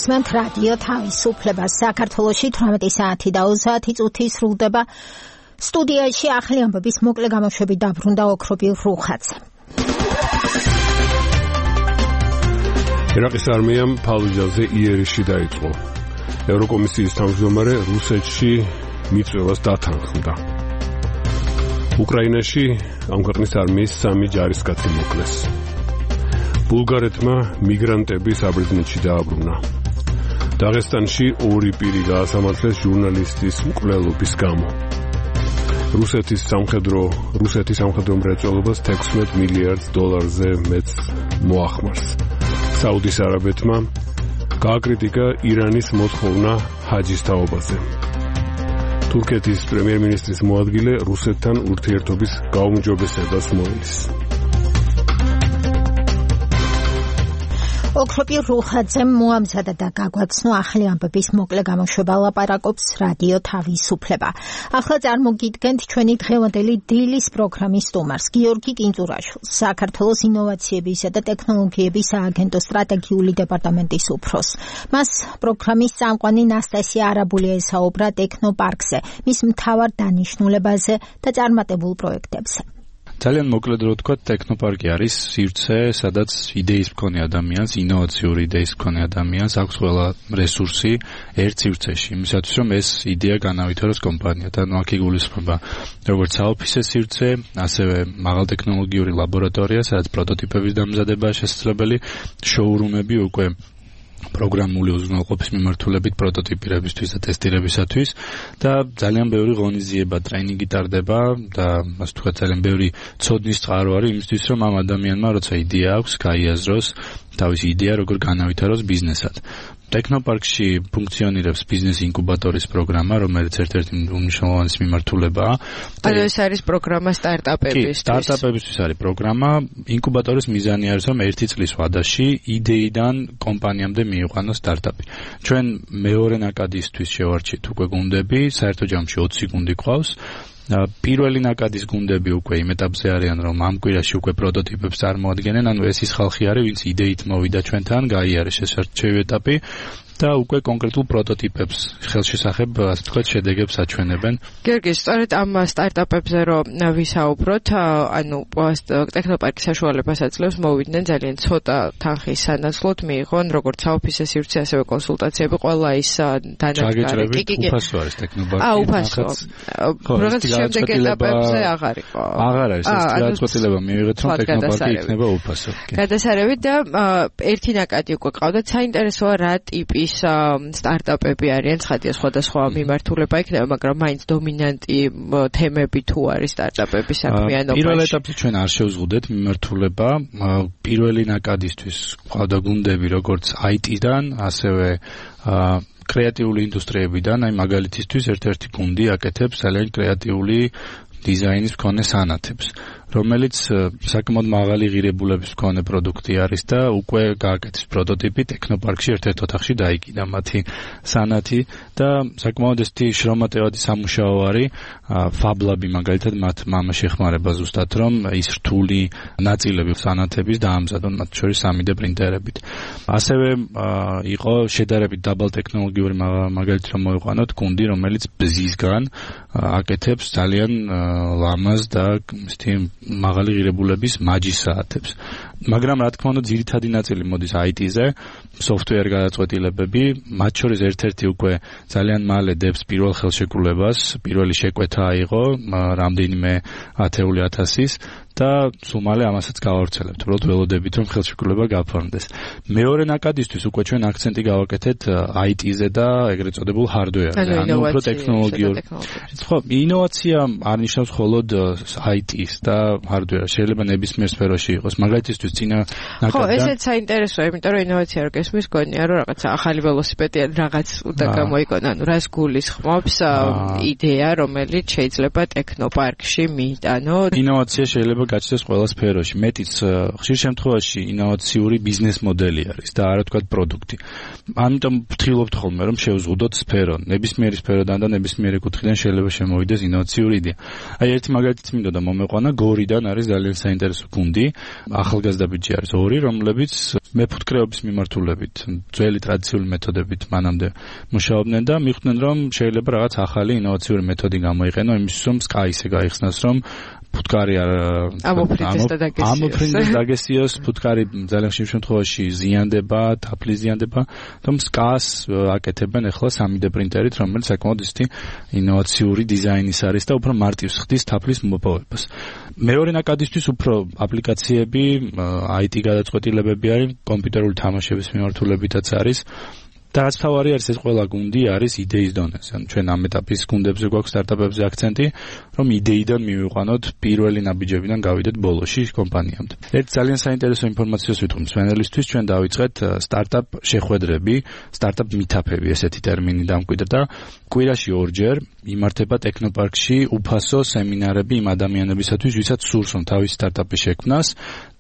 გისმენთ რადიო თავისუფლება. საქართველოში 18 საათი და 30 წუთი სრულდება. სტუდიაში ახალი ამბების მოკლე გამოშვებით დაბრუნდა ოქრობილ რუხაძე. ერაყის არმიამ ფალუჯაზე იერიში დაიწყო. ევროკომისიის თავმჯდომარე რუსეთში მიწვევას დათანხმდა. უკრაინაში ამ ქვეყნის არმიის 3 ჯარისკაცი მოკლეს. ბულგარეთმა მიგრანტები საბერძნეთში დააბრუნა. დაღესტანში 2 პირი გაასამართლეს ჟურნალისტის მკვლელობის გამო. რუსეთის სამხედრო მრეწველობას $16 მილიარდზე მეტ მოახმარს. საუდის არაბეთმა გააკრიტიკა ირანის მოთხოვნა ჰაჯის თაობაზე. თურქეთის პრემიერ-მინისტრის მოადგილე რუსეთთან ურთიერთობის გაუმჯობესებას მოელის. ოქრობილ რუხაძემ მოამზადა და გაგვაცნო ახალი ამბების მოკლე გამოშვება ლაპარაკობს რადიო თავისუფლება. ახლა წარმოგიდგენთ ჩვენი დღევანდელი დილის პროგრამის სტუმარს, გიორგი კინძურაშვილს, საქართველოს ინოვაციებისა და ტექნოლოგიების სააგენტოს სტრატეგიული დეპარტამენტის უფროსს. მას პროგრამის წამყვანი ნასტასია არაბულია ესაუბრა ტექნოპარკზე, მის მთავარ დანიშნულებაზე და წარმატებულ პროექტებზე. ძალიან მოკლედ რო ვთქვა, ტექნოპარკი არის სივრცე, სადაც იდეის მქონე ადამიანს, ინოვაციური იდეის მქონე ადამიანს აქვს ყველა რესურსი ერთ სივრცეში, იმისათვის რომ ეს იდეა განავითაროს კომპანიად. აქ იგულისხმება როგორც საოფისე სივრცე, ასევე მაღალტექნოლოგიური ლაბორატორია, სადაც პროტოტიპების დამზადებაა შესაძლებელი, შოურუმები უკვე პროგრამული უზრუნველყოფის მიმართულებით პროტოტიპირებისთვის და ტესტირებისათვის და ძალიან ბევრი ღონისძიება, ტრეინინგი ტარდება და ასე ვთქვათ, ძალიან ბევრი ცოდნის წყარო არის იმისთვის, რომ ამ ადამიანმა, როცა იდეა აქვს, გაიაზროს თავისი იდეა როგორ განავითაროს ბიზნესად. ტექნოპარკში ფუნქციონირებს ბიზნეს ინკუბატორის პროგრამა, რომელიც ერთ-ერთი უმნიშვნელოვანესი მიმართულებაა. ანუ ეს არის პროგრამა სტარტაპებისთვის. სტარტაპებისთვის არის პროგრამა. ინკუბატორის მიზანი არის, რომ 1 წლის ვადაში იდეიდან კომპანიამდე მიიყვანოს სტარტაპი. ჩვენ მეორე ნაკადისთვის შევარჩით უკვე გუნდები, საერთო ჯამში 20 გუნდი ყავს. პირველი ნაკადის გუნდები უკვე იმ ეტაპზე არიან, რომ ამ კვირაში უკვე პროტოტიპებს წარმოადგენენ, ანუ ეს ის ხალხი არის, ვინც იდეით მოვიდა ჩვენთან, გაიარეს ეს არჩევი ეტაპი და უკვე კონკრეტულ პროტოტიპებს ხელშესახებ, ასე ვთქვათ, შედეგებს აჩვენებენ. გიორგი, სწორედ ამ სტარტაპებზე რომ ვისაუბროთ, ანუ ტექნოპარკი საშუალებას აძლევს მოვიდნენ ძალიან ცოტა თანხის სანაცვლოდ მიიღონ როგორც საოფისე სივრცე, ასევე კონსულტაციები, ყველა ის დანადგარი. უფასო არის ტექნოპარკი. უფასო. რაღაც შემდეგ ეტაპებზე აღარ იყო. აღარ არის, ეს გადაწყვეტილება მიიღეთ, რომ ტექნოპარკი იქნება უფასო. გადასარევით და ერთი ნაკადი უკვე ყავდათ, საინტერესოა რა ტიპი სტარტაპები არიან, ცხადია სხვადასხვა მიმართულება იქნება, მაგრამ მაინც დომინანტი თემები თუ არის სტარტაპების საქმიანობაში. პირველ ეტაპზე ჩვენ არ შევზღუდეთ მიმართულება. პირველი ნაკადისთვის ყავდა გუნდები როგორც IT-დან, ასევე კრეატიული ინდუსტრიებიდან, აი მაგალითისთვის ერთ-ერთი გუნდი აკეთებს ძალიან კრეატიული დიზაინის მქონე სანათებს, რომელიც საკმაოდ მაღალი ღირებულების მქონე პროდუქტი არის და უკვე გააკეთეს პროტოტიპი ტექნოპარკში ერთ-ერთ ოთახში დაიკიდა მათი სანათი და საკმაოდ ესეთი შრომატევადი სამუშაო არის. ფაბლაბი მაგალითად მათ მამაში ეხმარება ზუსტად, რომ ის რთული ნაწილები სანათების დაამზადონ, მათ შორის 3D პრინტერებით. ასევე იყო შედარებით დაბალ ტექნოლოგიური მაგალითად რომ მოიყვანოთ გუნდი, რომელიც ბზისგან აკეთებს ძალიან ლამაზ და ესეთი მაღალი ღირებულების მაჯის საათებს. მაგრამ რა თქმა უნდა, ძირითადი ნაწილი მოდის IT-ზე, software გადაწყვეტილებები, მათ შორის ერთ-ერთი უკვე ძალიან მალე დებს პირველ ხელშეკრულებას, პირველი შეკვეთა აიღო, რამდენიმე 10,000-ის და სულ მალე ამასაც გავავრცელებთ. უბრალოდ ველოდებით, რომ ხელშეკრულება გაფორმდეს. მეორე ნაკადისთვის უკვე ჩვენ აქცენტი გავაკეთეთ IT-ზე და ეგრეთ წოდებულ hardware-ზე, ანუ უფრო ტექნოლოგიურ. ხო, ინოვაცია არ ნიშნავს მხოლოდ IT-ს და hardware-ს, შეიძლება ნებისმიერ სფეროში იყოს. მაგალითისთვის წინა ნაკადიდან. ხო, ესეც საინტერესოა, იმიტომ რომ ინოვაცია რო გესმის გონია, რომ რაღაცა ახალი ველოსიპედი რაღაც უნდა გამოიგონა, ანუ რას გულისხმობს იდეა, რომელიც შეიძლება ტექნოპარკში მიიტანო. ინოვაცია შეიძლება გაჩნდეს ყველა სფეროში. მეტიც ხშირ შემთხვევაში ინოვაციური ბიზნეს მოდელი არის და არა თქვა პროდუქტი. ამიტომ ვთხოვთ ხოლმე, რომ შევზღუდოთ სფერო. ნებისმიერი სფეროდან და ნებისმიერი კუთხიდან შეიძლება შემოვიდეს ინოვაციური იდეა. აი ერთი მაგალითიც მინდოდა და მომეყვანა, გორიდან არის ძალიან საინტერესო გუნდი, ახალგაზრდა ბიჭი არის 2, რომლებიც მეფუტკრეობის მიმართულებით, ძველი ტრადიციული მეთოდებით მანამდე მუშაობდნენ და მიხვდნენ, რომ შეიძლება რაღაც ახალი ინოვაციური მეთოდი გამოიყენო იმისთვის, რომ სკაისე გაიხსნას, რომ ფუტკარი ამოფრინდეს დაგესიოს, ფუტკარი ძალიან ხშირ შემთხვევაში ზიანდება, თაფლი ზიანდება, რომ სკას აკეთებენ ახლა 3D პრინტერით, რომელიც საკმაოდ ისეთი ინოვაციური დიზაინის არის და უფრო მარტივს ხდის თაფლის მოპოვებას. მეორე ნაკადისთვის უფრო აპლიკაციები, IT გადაწყვეტილებები არის, კომპიუტერული თამაშების მიმართულებითაც არის. და რაც თავარი არის, ეს ყველა გუნდი არის იდეის დონეზე. ანუ ჩვენ ამ ეტაპის გუნდებზე გვაქვს სტარტაპებზე აქცენტი, რომ იდეიდან მივიყვანოთ პირველი ნაბიჯებიდან გავიდეთ ბოლოში კომპანიამდე. ერთ ძალიან საინტერესო ინფორმაციას ვიტყვი მსმენელისთვის, ჩვენ დავიწყეთ სტარტაპ შეხვედრები, სტარტაპ მითაფები, ესეთი ტერმინი დამკვიდრდა და კვირაში 2 ჯერ იმართება ტექნოპარკში უფასო სემინარები იმ ადამიანებისათვის, ვისაც სურს რომ თავის სტარტაპი შექმნას,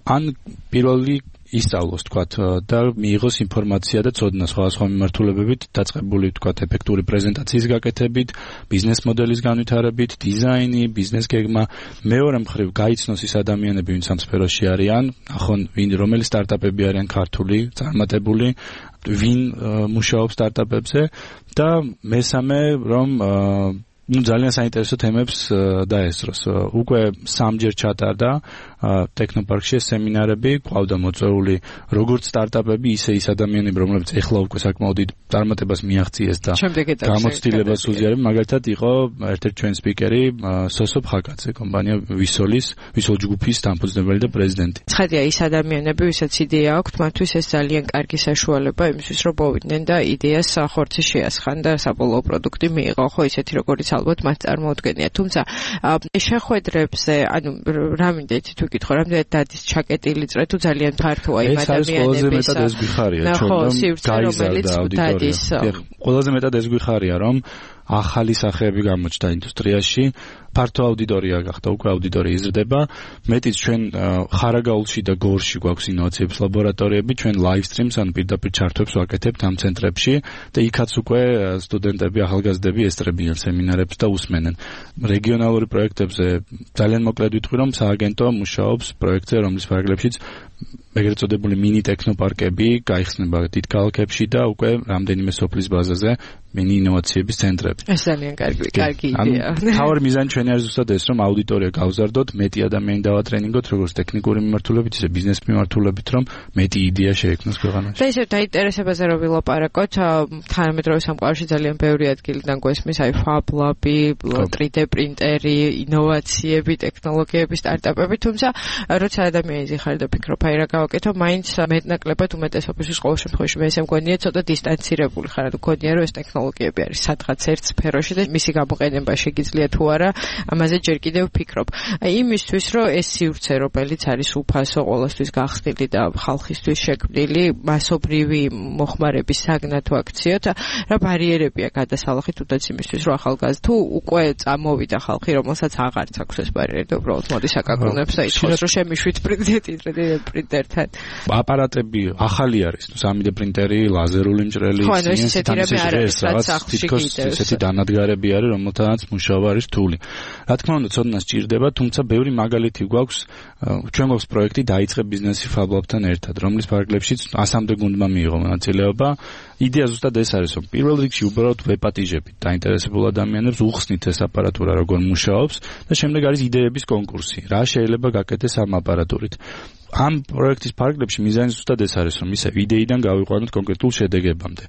ან პირველი ისწავლოს თქვათ და მიიღოს ინფორმაცია და ცოდნა სხვადასხვა მიმართულებებით დაწყებული თქვათ ეფექტური პრეზენტაციის გაკეთებით, ბიზნეს მოდელის განვითარებით, დიზაინი, ბიზნეს გეგმა. მეორე მხრივ გაიცნოს ის ადამიანები, ვინც ამ სფეროში არიან, ახონ რომელი სტარტაპები არიან ქართული, წარმატებული, ვინ მუშაობს სტარტაპებზე და მესამე რომ ძალიან საინტერესო თემებს დაესწროს. უკვე 3 ჯერ ჩატარდა ტექნოპარკში სემინარები, ყავდა მოწვეული როგორც სტარტაპები, ისე ის ადამიანები, რომლებიც ეხლა უკვე საკმაოდ დიდ წარმატებას მიაღწიეს და გამოცდილებას უზიარებენ. მაგალითად იყო ერთ-ერთი ჩვენ სპიკერი სოსო ფხაკაძე, კომპანია ვისოლ ჯგუფის დამფუძნებელი და პრეზიდენტი. ცხადია, ის ადამიანები, ვისაც იდეა აქვთ, მათთვის ეს ძალიან კარგი საშუალება იმისთვის, რომ მოვიდნენ და იდეას ხორცი შეასხან და საბოლოო პროდუქტი მიიღო, ხო ისეთი როგორც ალბათ მათ წარმოუდგენია. თუმცა შეხვედრებზე, ანუ რა მინდა იცით ვიკითხო, რამდენად დადის ჩაკეტილი წრე თუ ძალიან ფართოა იმ ადამიანების ეს გვიხარია ჩვენ დადის. ყველაზე მეტად ეს გვიხარია, რომ ახალი სახეები გამოჩნდა ინდუსტრიაში, ფართო აუდიტორია გახდა, უკვე აუდიტორია იზრდება. მეტიც ჩვენ ხარაგაულში და გორში გვაქვს ინოვაციების ლაბორატორიები, ჩვენ live streams ან პირდაპირ ჩართვებს ვაკეთებთ ამ ცენტრებში და იქაც უკვე სტუდენტები, ახალგაზრდები ესწრებიან სემინარებს და უსმენენ. რეგიონალური პროექტებზე ძალიან მოკლედ ვიტყვი, რომ სააგენტო მუშაობს პროექტზე, რომლის ფარგლებშიც ეგრეთ წოდებული მინი ტექნოპარკები გაიხსნება დიდ ქალაქებში და უკვე რამდენიმე სოფლის ბაზაზე მინი ინოვაციების ცენტრები. ეს ძალიან კარგი იდეა. თავი მიზანი ჩვენი არის ზუსტად ეს, რომ აუდიტორია გავზარდოთ, მეტი ადამიანი დავატრენინგოთ, როგორც ტექნიკური მიმართულებით, ისე ბიზნეს მიმართულებით, რომ მეტი იდეა შეექმნას ქვეყანაში. და ისე დაინტერესებაზე რომ ვილაპარაკოთ, თანამედროვე სამყაროში ძალიან ბევრი ადგილიდან გვესმის, აი Fab Lab-ი, 3D პრინტერი, ინოვაციები, ტექნოლოგიები, სტარტაპები, თუმცა როცა ადამიანი იზიხარ და ფიქრობ, აი რა გავაკეთო, მაინც მეტნაკლებად უმეტესობისთვის ყოველ შემთხვევაში მე ესე მგონია ცოტა დისტანცირებული ხარ, თუ გქონია რომ ეს ტექნოლოგიები არის სადღაც ერთ სფეროში და მისი გამოყენება შეგიძლია თუ არა, ამაზე ჯერ კიდევ ვფიქრობ. იმისთვის რომ ეს სივრცე, რომელიც არის უფასო, ყოველთვის გახსნილი და ხალხისთვის შექმნილი, მასობრივი მოხმარების საგნად ვაქციოთ, რა ბარიერებია გადასალახით თუნდაც იმისთვის რომ ახალგაზრდა თუ უკვე წამოვიდა ხალხი, რომელსაც აღარც აქვს ეს ბარიერი და უბრალოდ მოდის აკაკუნებს და ითხოვს რომ შემიშვით პრინტერთან. აპარატები ახალი არის, 3D პრინტერი, ლაზერული მჭრელი, ესეთი დანადგარები არის, რომელთანაც მუშაობა არის რთული. რა თქმა უნდა, ცოდნა სჭირდება, თუმცა ბევრი მაგალითი გვაქვს, ჩვენ გვაქვს პროექტი დაიწყე ბიზნესი Fab Lab-თან ერთად, რომლის ფარგლებშიც 100-მდე გუნდმა მიიღო მონაწილეობა. იდეა ზუსტად ეს არის, რომ პირველ რიგში უბრალოდ ვეპატიჟებით დაინტერესებულ ადამიანებს, უხსნით ეს აპარატურა როგორ მუშაობს და შემდეგ არის იდეების კონკურსი. რა შეიძლება გაკეთდეს ამ აპარატურით. ამ პროექტის ფარგლებში მიზანი ზუსტად ეს არის, რომ ისე იდეიდან გავიყვანოთ კონკრეტულ შედეგებამდე.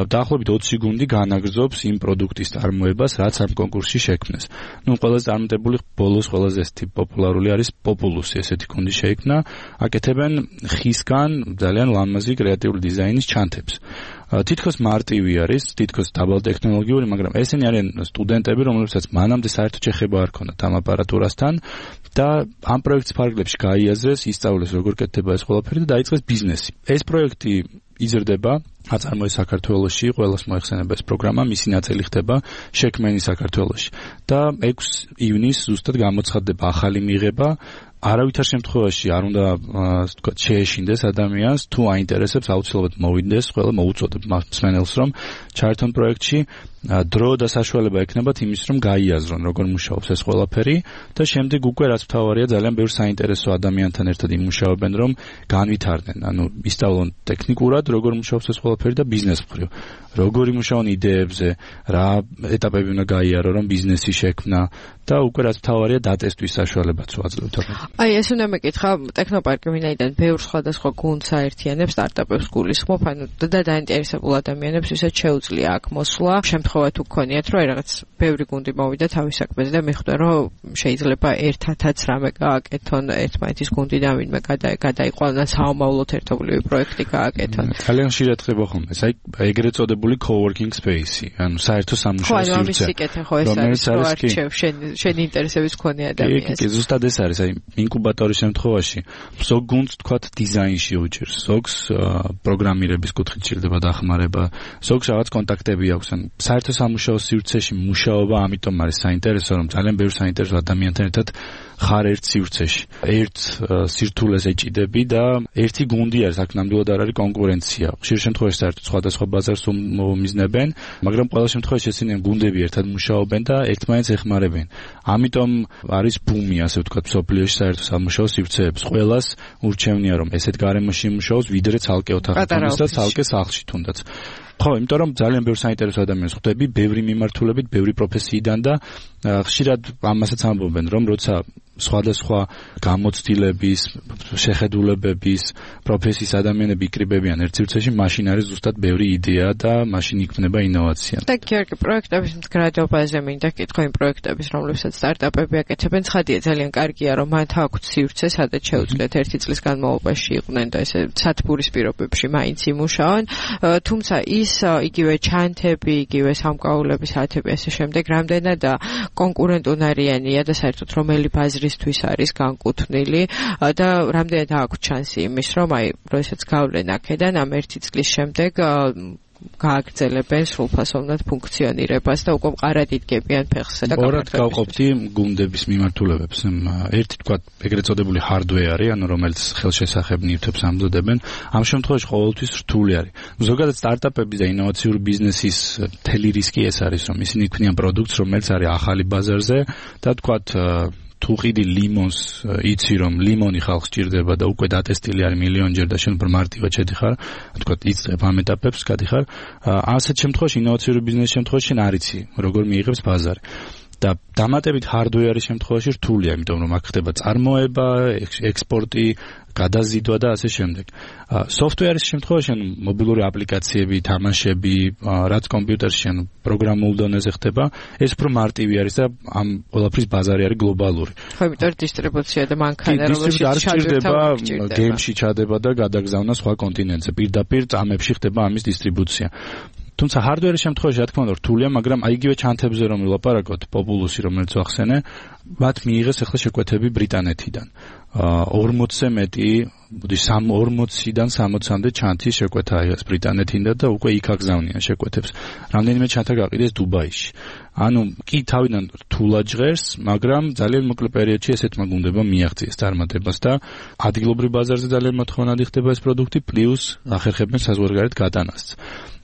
დაახლოებით 20 გუნდი განაგრძობს იმ პროდუქტის წარმოებას, რაც ამ კონკურსში შექმნეს. ყველაზე წარმატებული ბოლოს ყველაზე ესეთი პოპულარული არის Populus, ესეთი გუნდი შეიქმნა, აკეთებენ ხისგან ძალიან ლამაზი კრეატიული დიზაინის ჩანთებს. თითქოს მარტივი არის, თითქოს დაბალტექნოლოგიური, მაგრამ ესენი არიან სტუდენტები, რომლებსაც მანამდე საერთოდ შეხება არ ქონდათ ამ აპარატურასთან და ამ პროექტის ფარგლებში გაიაზრეს, ისწავლეს როგორ კეთდება ეს ყველაფერი და დაიწყეს ბიზნესი. ეს პროექტი იზრდება, აწარმოეს საქართველოში, ყველას მოეხსენება ეს პროგრამა, მისი ნაწილი ხდება შექმენი საქართველოში. და 6 ივნისს ზუსტად გამოცხადდება ახალი მიღება. არავითარ შემთხვევაში არ უნდა თქვა შეეშინდეს ადამიანს, თუ აინტერესებს აუცილებლად მოვიდეს, ყველა მოუწოდებ მსმენელს რომ ჩაერთონ პროექტში დრო და საშუალება ექნებათ იმის, რომ გაიაზრონ, როგორ მუშაობს ეს ყველაფერი და შემდეგ უკვე რაც მთავარია, ძალიან ბევრ საინტერესო ადამიანთან ერთად იმუშავებენ, რომ განვითარდნენ, ისწავლონ ტექნიკურად, როგორ მუშაობს ეს ყველაფერი და ბიზნეს მხრივ. როგორ იმუშაონ იდეებზე, რა ეტაპები უნდა გაიარო, რომ ბიზნესი შექმნა და უკვე რაც მთავარია დატესტვის საშუალებაც ვაძლევთ. აი ეს უნდა მეკითხა, ტექნოპარკი ვინაიდან ბევრ სხვადასხვა გუნდს აერთიანებს, სტარტაპებს გულისხმობ, და დაინტერესებულ ადამიანებს ვისაც შეუძლია აქ მოსვლა. შემთხვევა თუ გქონიათ, რომ რაღაც ბევრი გუნდი მოვიდა თავის საქმეზე და მიხვდა, რომ შეიძლება ერთადაც რამე გააკეთონ, ერთმანეთის გუნდიდან ვინმე გადაიყვანონ და საომავლოდ ერთობლივი პროექტი გააკეთონ. ძალიან ხშირად ხდება ხოლმე, აი ეგრეთ წოდებული co-working space-ი, ანუ საერთო სამუშაო სივრცე. ხო, ამის სიკეთე ხო ეს არის, რომ არჩევ შენ ინტერესების მქონე ადამიანს. კი, ზუსტად ეს არის, აი ინკუბატორის შემთხვევაში ზოგ გუნდს თქვათ დიზაინში უჭირს, ზოგს პროგრამირების კუთხით ჭირდება დახმარება, ზოგს რაღაც კონტაქტები აქვს, ან საერთო სამუშაო სივრცეში მუშაობა ამიტომ არის საინტერესო, რომ ძალიან ბევრ საინტერესო ადამიანთან ერთად ხარ ერთ სივრცეში. ერთ სირთულეს ეჭიდები და ერთი გუნდი არის, აქ ნამდვილად არ არის კონკურენცია. ხშირ შემთხვევაში საერთოდ სხვადასხვა ბაზარს უმიზნებენ, მაგრამ ყველა შემთხვევაში ესენი გუნდები ერთად მუშაობენ და ერთმანეთს ეხმარებენ. ამიტომ არის ბუმი, ასე ვთქვათ, მსოფლიოში საერთო სამუშაო სივრცეებს. ყველას ურჩევნია, რომ ესეთ გარემოში იმუშაოს, ვიდრე ცალკე ოთახში და ცალკე სახლში თუნდაც. ხო, იმიტომ რომ ძალიან ბევრ საინტერესო ადამიანს ხვდები, ბევრი მიმართულებით, ბევრი პროფესიიდან და ხშირად ამასაც ამბობენ, რომ როცა სხვადასხვა გამოცდილების, შეხედულებების, პროფესიის ადამიანები იკრიბებიან ერთ სივრცეში, მაშინ არის ზუსტად ბევრი იდეა და მაშინ იქმნება ინოვაცია. და გიორგი, პროექტების მდგრადობაზე მინდა კითხო იმ პროექტების, რომლებსაც სტარტაპები აკეთებენ, ცხადია ძალიან კარგია, რომ მათ აქვთ სივრცე, სადაც შეუძლიათ ერთი წლის განმავლობაში იყვნენ და ესე სათბურის პირობებში მაინც იმუშაონ, თუმცა ის იგივე ჩანთები, იგივე სამკაულები, საათები ასე შემდეგ, რამდენად კონკურენტუნარიანია და საერთოდ რომელი ბაზრისთვის არის განკუთვნილი და რამდენად აქვს შანსი იმის, რომ აი, როდესაც გავლენ აქედან ამ ერთი წლის შემდეგ გააგრძელებენ სრულფასოვნად ფუნქციონირებას და უკვე მყარად იდგებიან ფეხსა და ორად გავყოფდი გუნდების მიმართულებებს. ერთი თქვა ეგრეთ წოდებული hardware-ი, ანუ რომელიც ხელშესახებ ნივთებს ამზადებენ, ამ შემთხვევაში ყოველთვის რთული არის. ზოგადად სტარტაპების და ინოვაციური ბიზნესის მთელი რისკი ეს არის, რომ ისინი იქმნიან პროდუქტს, რომელიც არის ახალი ბაზარზე და თქვათ თუ ყიდი ლიმონს იცი რომ ლიმონი ხალხს ჭირდება და უკვე დატესტილი არის მილიონჯერ და შენ მარტივად შედიხარ, თქვა იწყებ ამ ეტაპებს, გადიხარ, ასეთ შემთხვევაში ინოვაციური ბიზნესის შემთხვევაში შენ არ იცი როგორ მიიღებს ბაზარი. და დამატებით hardware-ის შემთხვევაში რთულია, იმიტომ რომ აქ ხდება წარმოება, ექსპორტი, გადაზიდვა და ასე შემდეგ. Software-ის შემთხვევაში მობილური აპლიკაციები, თამაშები, რაც კომპიუტერში ან პროგრამულ დონეზე ხდება, ეს უფრო მარტივი არის და ამ ყველაფრის ბაზარი არის გლობალური. ხო, იმიტომ დისტრიბუცია და მანქანა რომელშიც ჩადება, გეიმში ჩადება და გადაგზავნა სხვა კონტინენტზე. პირდაპირ წამებში ხდება ამის დისტრიბუცია. თუმცა hardware-ის შემთხვევაში რა თქმა უნდა რთულია, მაგრამ აი იგივე ჩანთებზე რომ ვილაპარაკოთ, Populus-ი რომელიც ვახსენე, მათ მიიღეს ახლა შეკვეთები ბრიტანეთიდან. 40-ზე მეტი, 40-დან 60-მდე ჩანთის შეკვეთა აიღეს ბრიტანეთიდან და უკვე იქ აგზავნიან შეკვეთებს. რამდენიმე ჩანთა გაყიდეს დუბაიში. ანუ კი თავიდან რთულად ჟღერს, მაგრამ ძალიან მოკლე პერიოდში ესეთმა გუნდებმა მიაღწიეს წარმატებას და ადგილობრივ ბაზარზე ძალიან მოთხოვნადი ხდება ეს პროდუქტი, პლუს ახერხებენ საზღვარგარეთ გატანას.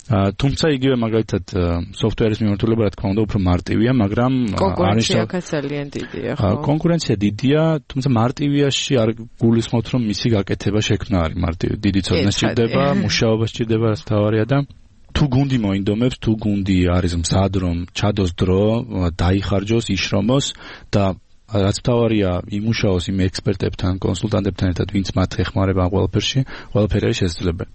თუმცა იგივე მაგალითად software-ის მიმართულება რა თქმა უნდა უფრო მარტივია, მაგრამ კონკურენცია ძალიან დიდია, ხო? კონკურენცია დიდია, თუმცა მარტივიაში არ გულისხმობთ რომ მისი გაკეთება შექმნა არის მარტივი. დიდი ცოდნა სჭირდება, მუშაობა სჭირდება, რაც თავარია და თუ გუნდი მოინდომებს, თუ გუნდი არის მზად რომ ჩადოს დრო, დაიხარჯოს, იშრომოს და რაც თავარია იმუშაოს იმ ექსპერტებთან, კონსულტანტებთან ერთად, ვინც მათ ეხმარება ამ ყველაფერში, ყველაფერი არის შესაძლებელი.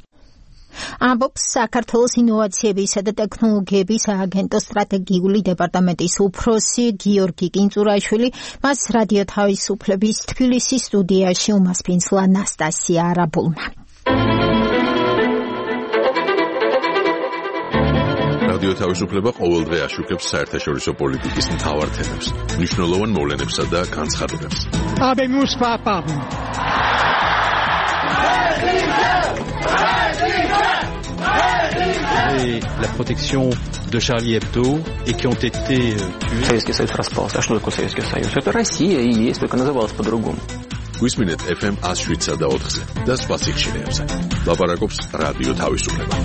ამბობს საქართველოს ინოვაციებისა და ტექნოლოგიების სააგენტოს სტრატეგიული დეპარტამენტის უფროსი გიორგი კინწურაშვილი, მას რადიო თავისუფლების თბილისის სტუდიაში უმასპინძლა ნასტასია არაბულმა. რადიო თავისუფლება ყოველდღე აშუქებს საერთაშორისო პოლიტიკის მთავარ თემებს, მნიშვნელოვან მოვლენებსა და განცხადებებს. Et la protection de Charlie Hebdo et qui ont été tués. Советский Союз распался. А что такое Советский Союз? Это Россия и есть, только называлась по-другому. Გვისმინეთ FM 107 და 4-ზე და სხვა სიხშირეებზე. ლაპარაკობს რადიო თავისუფლება.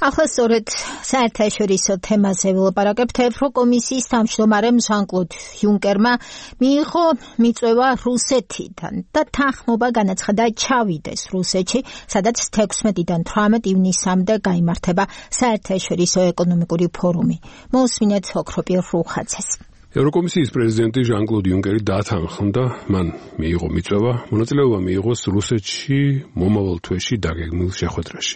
ახლა სწორედ საერთაშორისო თემაზე ვილაპარაკებთ. ევროკომისიის თავმჯდომარემ ჟან-კლოდ იუნკერმა მიიღო მიწვევა რუსეთიდან და თანხმობა განაცხადა ჩავიდეს რუსეთში, სადაც 16-დან 18 ივნისამდე გაიმართება საერთაშორისო ეკონომიკური ფორუმი. მოусმინეთ ოქროპირ რუხაძეს. ევროკომისიის პრეზიდენტი ჟან-კლოდ იუნკერი დათანხმდა, მან მიიღო მიწვევა, მონაწილეობა მიიღოს რუსეთში მომავალ თვეში დაგეგმილ შეხვედრაში.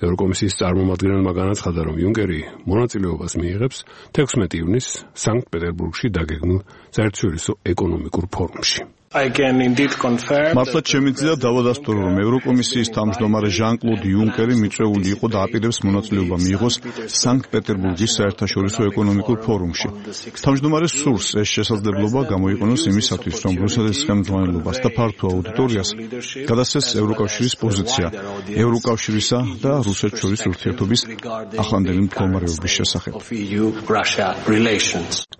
ევროკომისიის წარმომადგენელმა განაცხადა, რომ იუნკერი მონაწილეობას მიიღებს 16 ივნისს სანქტ-პეტერბურგში დაგეგმილ საერთაშორისო ეკონომიკურ ფორუმში. მართლაც შემიძლია დავადასტურო, რომ ევროკომისიის თავმჯდომარე ჟან-კლოდ იუნკერი მიწვეული იყო და აპირებს მონაწილეობა მიიღოს სანქტ-პეტერბურგის საერთაშორისო ეკონომიკურ ფორუმში. თავმჯდომარე სურს ეს შესაძლებლობა გამოიყენოს იმისათვის, რომ რუსეთის ხელმძღვანელობას და ფართო აუდიტორიას გადასცეს ევროკავშირის პოზიცია ევროკავშირისა და რუსეთს შორის ურთიერთობის ახლანდელი მდგომარეობის შესახებ.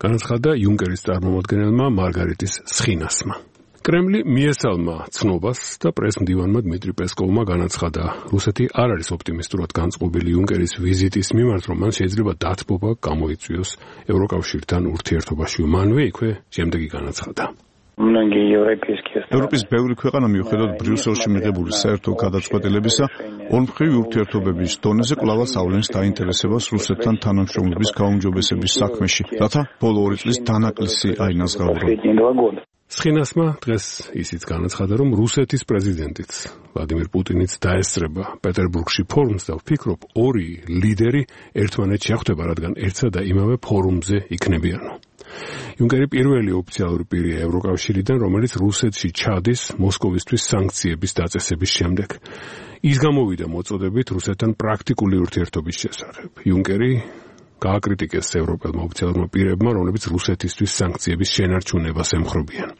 განაცხადა იუნკერის წარმომადგენელმა მარგარიტის სხინასმა. კრემლი მიესალმა ცნობას და პრეს-მდივანმა დმიტრი პესკოვმა განაცხადა, რუსეთი არ არის ოპტიმისტურად განწყობილი იუნკერის ვიზიტის მიმართ, რომ მან შეიძლება დათბობა გამოიწვიოს ევროკავშირთან ურთიერთობაში. მანვე იქვე შემდეგი განაცხადა. ევროპის ბევრი ქვეყანა მიუხედავად ბრიუსელში მიღებული საერთო გადაწყვეტილებისა, ორმხრივი ურთიერთობების დონეზე კვლავაც ავლენს დაინტერესებას რუსეთთან თანამშრომლობის გაუმჯობესების საქმეში, რათა ბოლო 2 წლის დანაკლისი აინაზღაურონ. სხინასმა დღეს ისიც განაცხადა, რომ რუსეთის პრეზიდენტიც ვლადიმირ პუტინიც დაესწრება პეტერბურგში ფორუმს და ვფიქრობ, ორი ლიდერი ერთმანეთს შეხვდება, რადგან ერთსა და იმავე ფორუმზე იქნებიანო. იუნკერი პირველი ოფიციალური პირია ევროკავშირიდან, რომელიც რუსეთში ჩადის მოსკოვისთვის სანქციების დაწესების შემდეგ. ის გამოვიდა მოწოდებით რუსეთთან პრაქტიკული ურთიერთობის შესახებ. იუნკერი გააკრიტიკეს ევროპელმა ოფიციალურმა პირებმა, რომლებიც რუსეთისთვის სანქციების შენარჩუნებას ემხრობიან.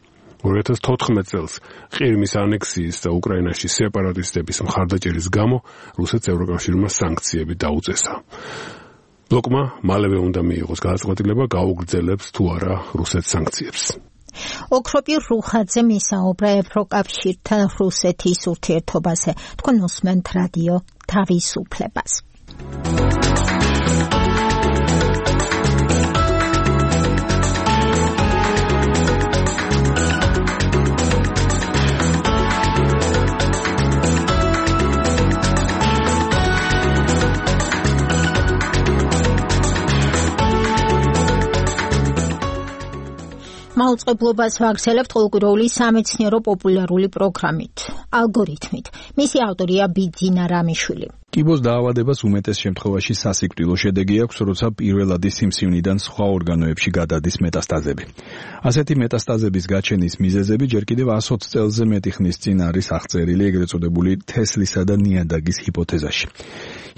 2014 წელს ყირიმის ანექსიის და უკრაინაში სეპარატისტების მხარდაჭერის გამო რუსეთს ევროკავშირმა სანქციები დაუწესა. ბლოკმა მალევე უნდა მიიღოს გადაწყვეტილება გაუგრძელებს თუ არა რუსეთს სანქციებს. ოქროპირ რუხაძე მისაუბრა ევროკავშირთან რუსეთის ურთიერთობაზე. თქვენ უსმენთ რადიო თავისუფლებას. მაუწყებლობას ვაგრძელებთ ყოველკვირეული სამეცნიერო პოპულარული პროგრამით, ალგორითმით. მისი ავტორია ბიძინა რამიშვილი. კიბოს დაავადებას უმეტეს შემთხვევაში სასიკვდილო შედეგი აქვს, როცა პირველადი სიმსივნიდან სხვა ორგანოებში გადადის მეტასტაზები. ასეთი მეტასტაზების გაჩენის მიზეზები ჯერ კიდევ 120 წელზე მეტი ხნის წინ არის აღწერილი ეგრეთ წოდებული თესლისა და ნიადაგის ჰიპოთეზაში.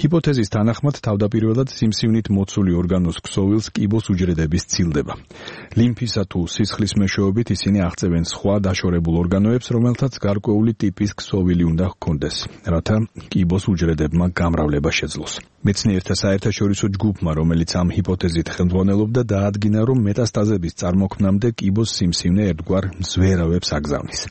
ჰიპოთეზის თანახმად თავდაპირველად სიმსივნით მოცული ორგანოს ქსოვილს კიბოს უჯრედები სცილდება. ლიმფისა თუ სისხლის მეშვეობით ისინი აღწევენ სხვა დაშორებულ ორგანოებს, რომელთაც გარკვეული ტიპის ქსოვილი უნდა ჰქონდეს, რათა კიბოს უჯრედებმა გამრავლება შეძლოს. მეცნიერთა საერთაშორისო ჯგუფმა, რომელიც ამ ჰიპოთეზით ხელმძღვანელობდა, დაადგინა, რომ მეტასტაზების წარმოქმნამდე კიბოს სიმსივნე ერთგვარ მზვერავებს აგზავნის.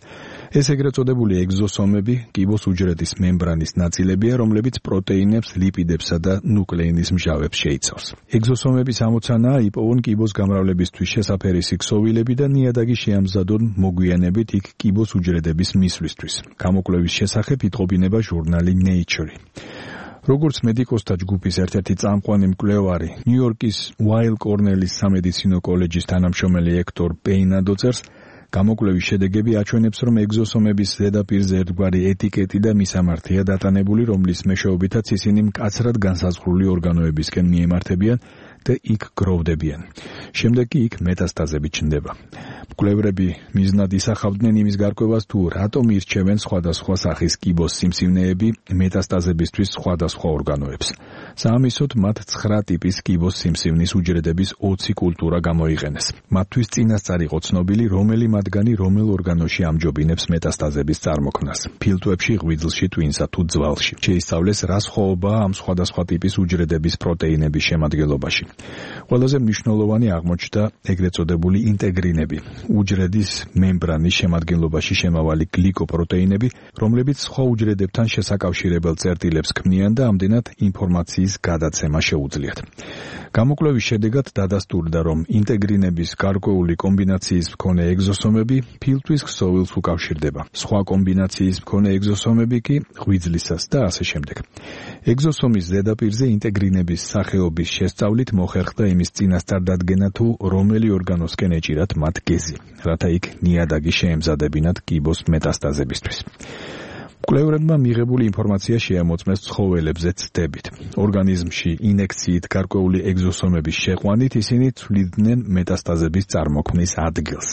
ეს ეგრეთ წოდებული ეგზოსომები კიბოს უჯრედის მემბრანის ნაწილებია, რომლებიც პროტეინებს, ლიპიდებსა და ნუკლეინის მჟავებს შეიცავს. ეგზოსომების ამოცანაა იპოვონ კიბოს გამრავლებისთვის შესაფერისი ქსოვილები და ნიადაგი შეამზადონ მოგვიანებით იქ კიბოს უჯრედების მისვლისთვის. გამოკვლევის შესახებ იტყობინება ჟურნალი Nature. როგორც მედიკოსთა ჯგუფის ერთ-ერთი წამყვანი მკვლევარი, ნიუ-იორკის Weill Cornell-ის სამედიცინო კოლეჯის თანამშრომელი ექტორ პეინა დოწერს, გამოკვლევის შედეგები აჩვენებს, რომ ეგზოსომების ზედაპირზე ერთგვარი ეტიკეტი და მისამართია დატანებული, რომლის მეშვეობითაც ისინი მკაცრად განსაზღვრული ორგანოებისკენ მიემართებიან და იქ გროვდებიან. შემდეგ კი იქ მეტასტაზები ჩნდება. მკვლევრები მიზნად ისახავდნენ იმის გარკვევას, თუ რატომ ირჩევენ სხვადასხვა სახის კიბოს სიმსივნეები მეტასტაზებისთვის სხვადასხვა ორგანოებს. საამისოდ მათ 9 ტიპის კიბოს სიმსივნის უჯრედების 20 კულტურა გამოიყენეს. მათთვის წინასწარ იყო ცნობილი, რომელი მათგანი რომელ ორგანოში ამჯობინებს მეტასტაზების წარმოქმნას. ფილტვებში, ღვიძლში, ტვინსა თუ ძვალში. შეისწავლეს, რა სხვაობაა ამ სხვადასხვა ტიპის უჯრედების პროტეინების შემადგენლობაში. ყველაზე მნიშვნელოვანი აღმოჩნდა ეგრეთ წოდებული ინტეგრინები, უჯრედის მემბრანის შემადგენლობაში შემავალი გლიკოპროტეინები, რომლებიც სხვა უჯრედებთან შესაკავშირებელ წერტილებს ქმნიან და ამდენად ინფორმაციის გადაცემა შეუძლიათ. გამოკვლევის შედეგად დადასტურდა, რომ ინტეგრინების გარკვეული კომბინაციის მქონე ეგზოსომები ფილტვის ქსოვილს უკავშირდება. სხვა კომბინაციის მქონე ეგზოსომები კი ღვიძლისას და ასე შემდეგ. ეგზოსომის ზედაპირზე ინტეგრინების სახეობის შესწავლით მოხერხდა იმის წინასწარ დადგენა, თუ რომელი ორგანოსკენ ეჭირათ მათ გეზი, რათა იქ ნიადაგი შეემზადებინათ კიბოს მეტასტაზებისთვის. მკვლევრებმა მიღებული ინფორმაცია შეამოწმეს ცხოველებზე ცდებით. ორგანიზმში ინექციით გარკვეული ეგზოსომების შეყვანით ისინი ცვლიდნენ მეტასტაზების წარმოქმნის ადგილს.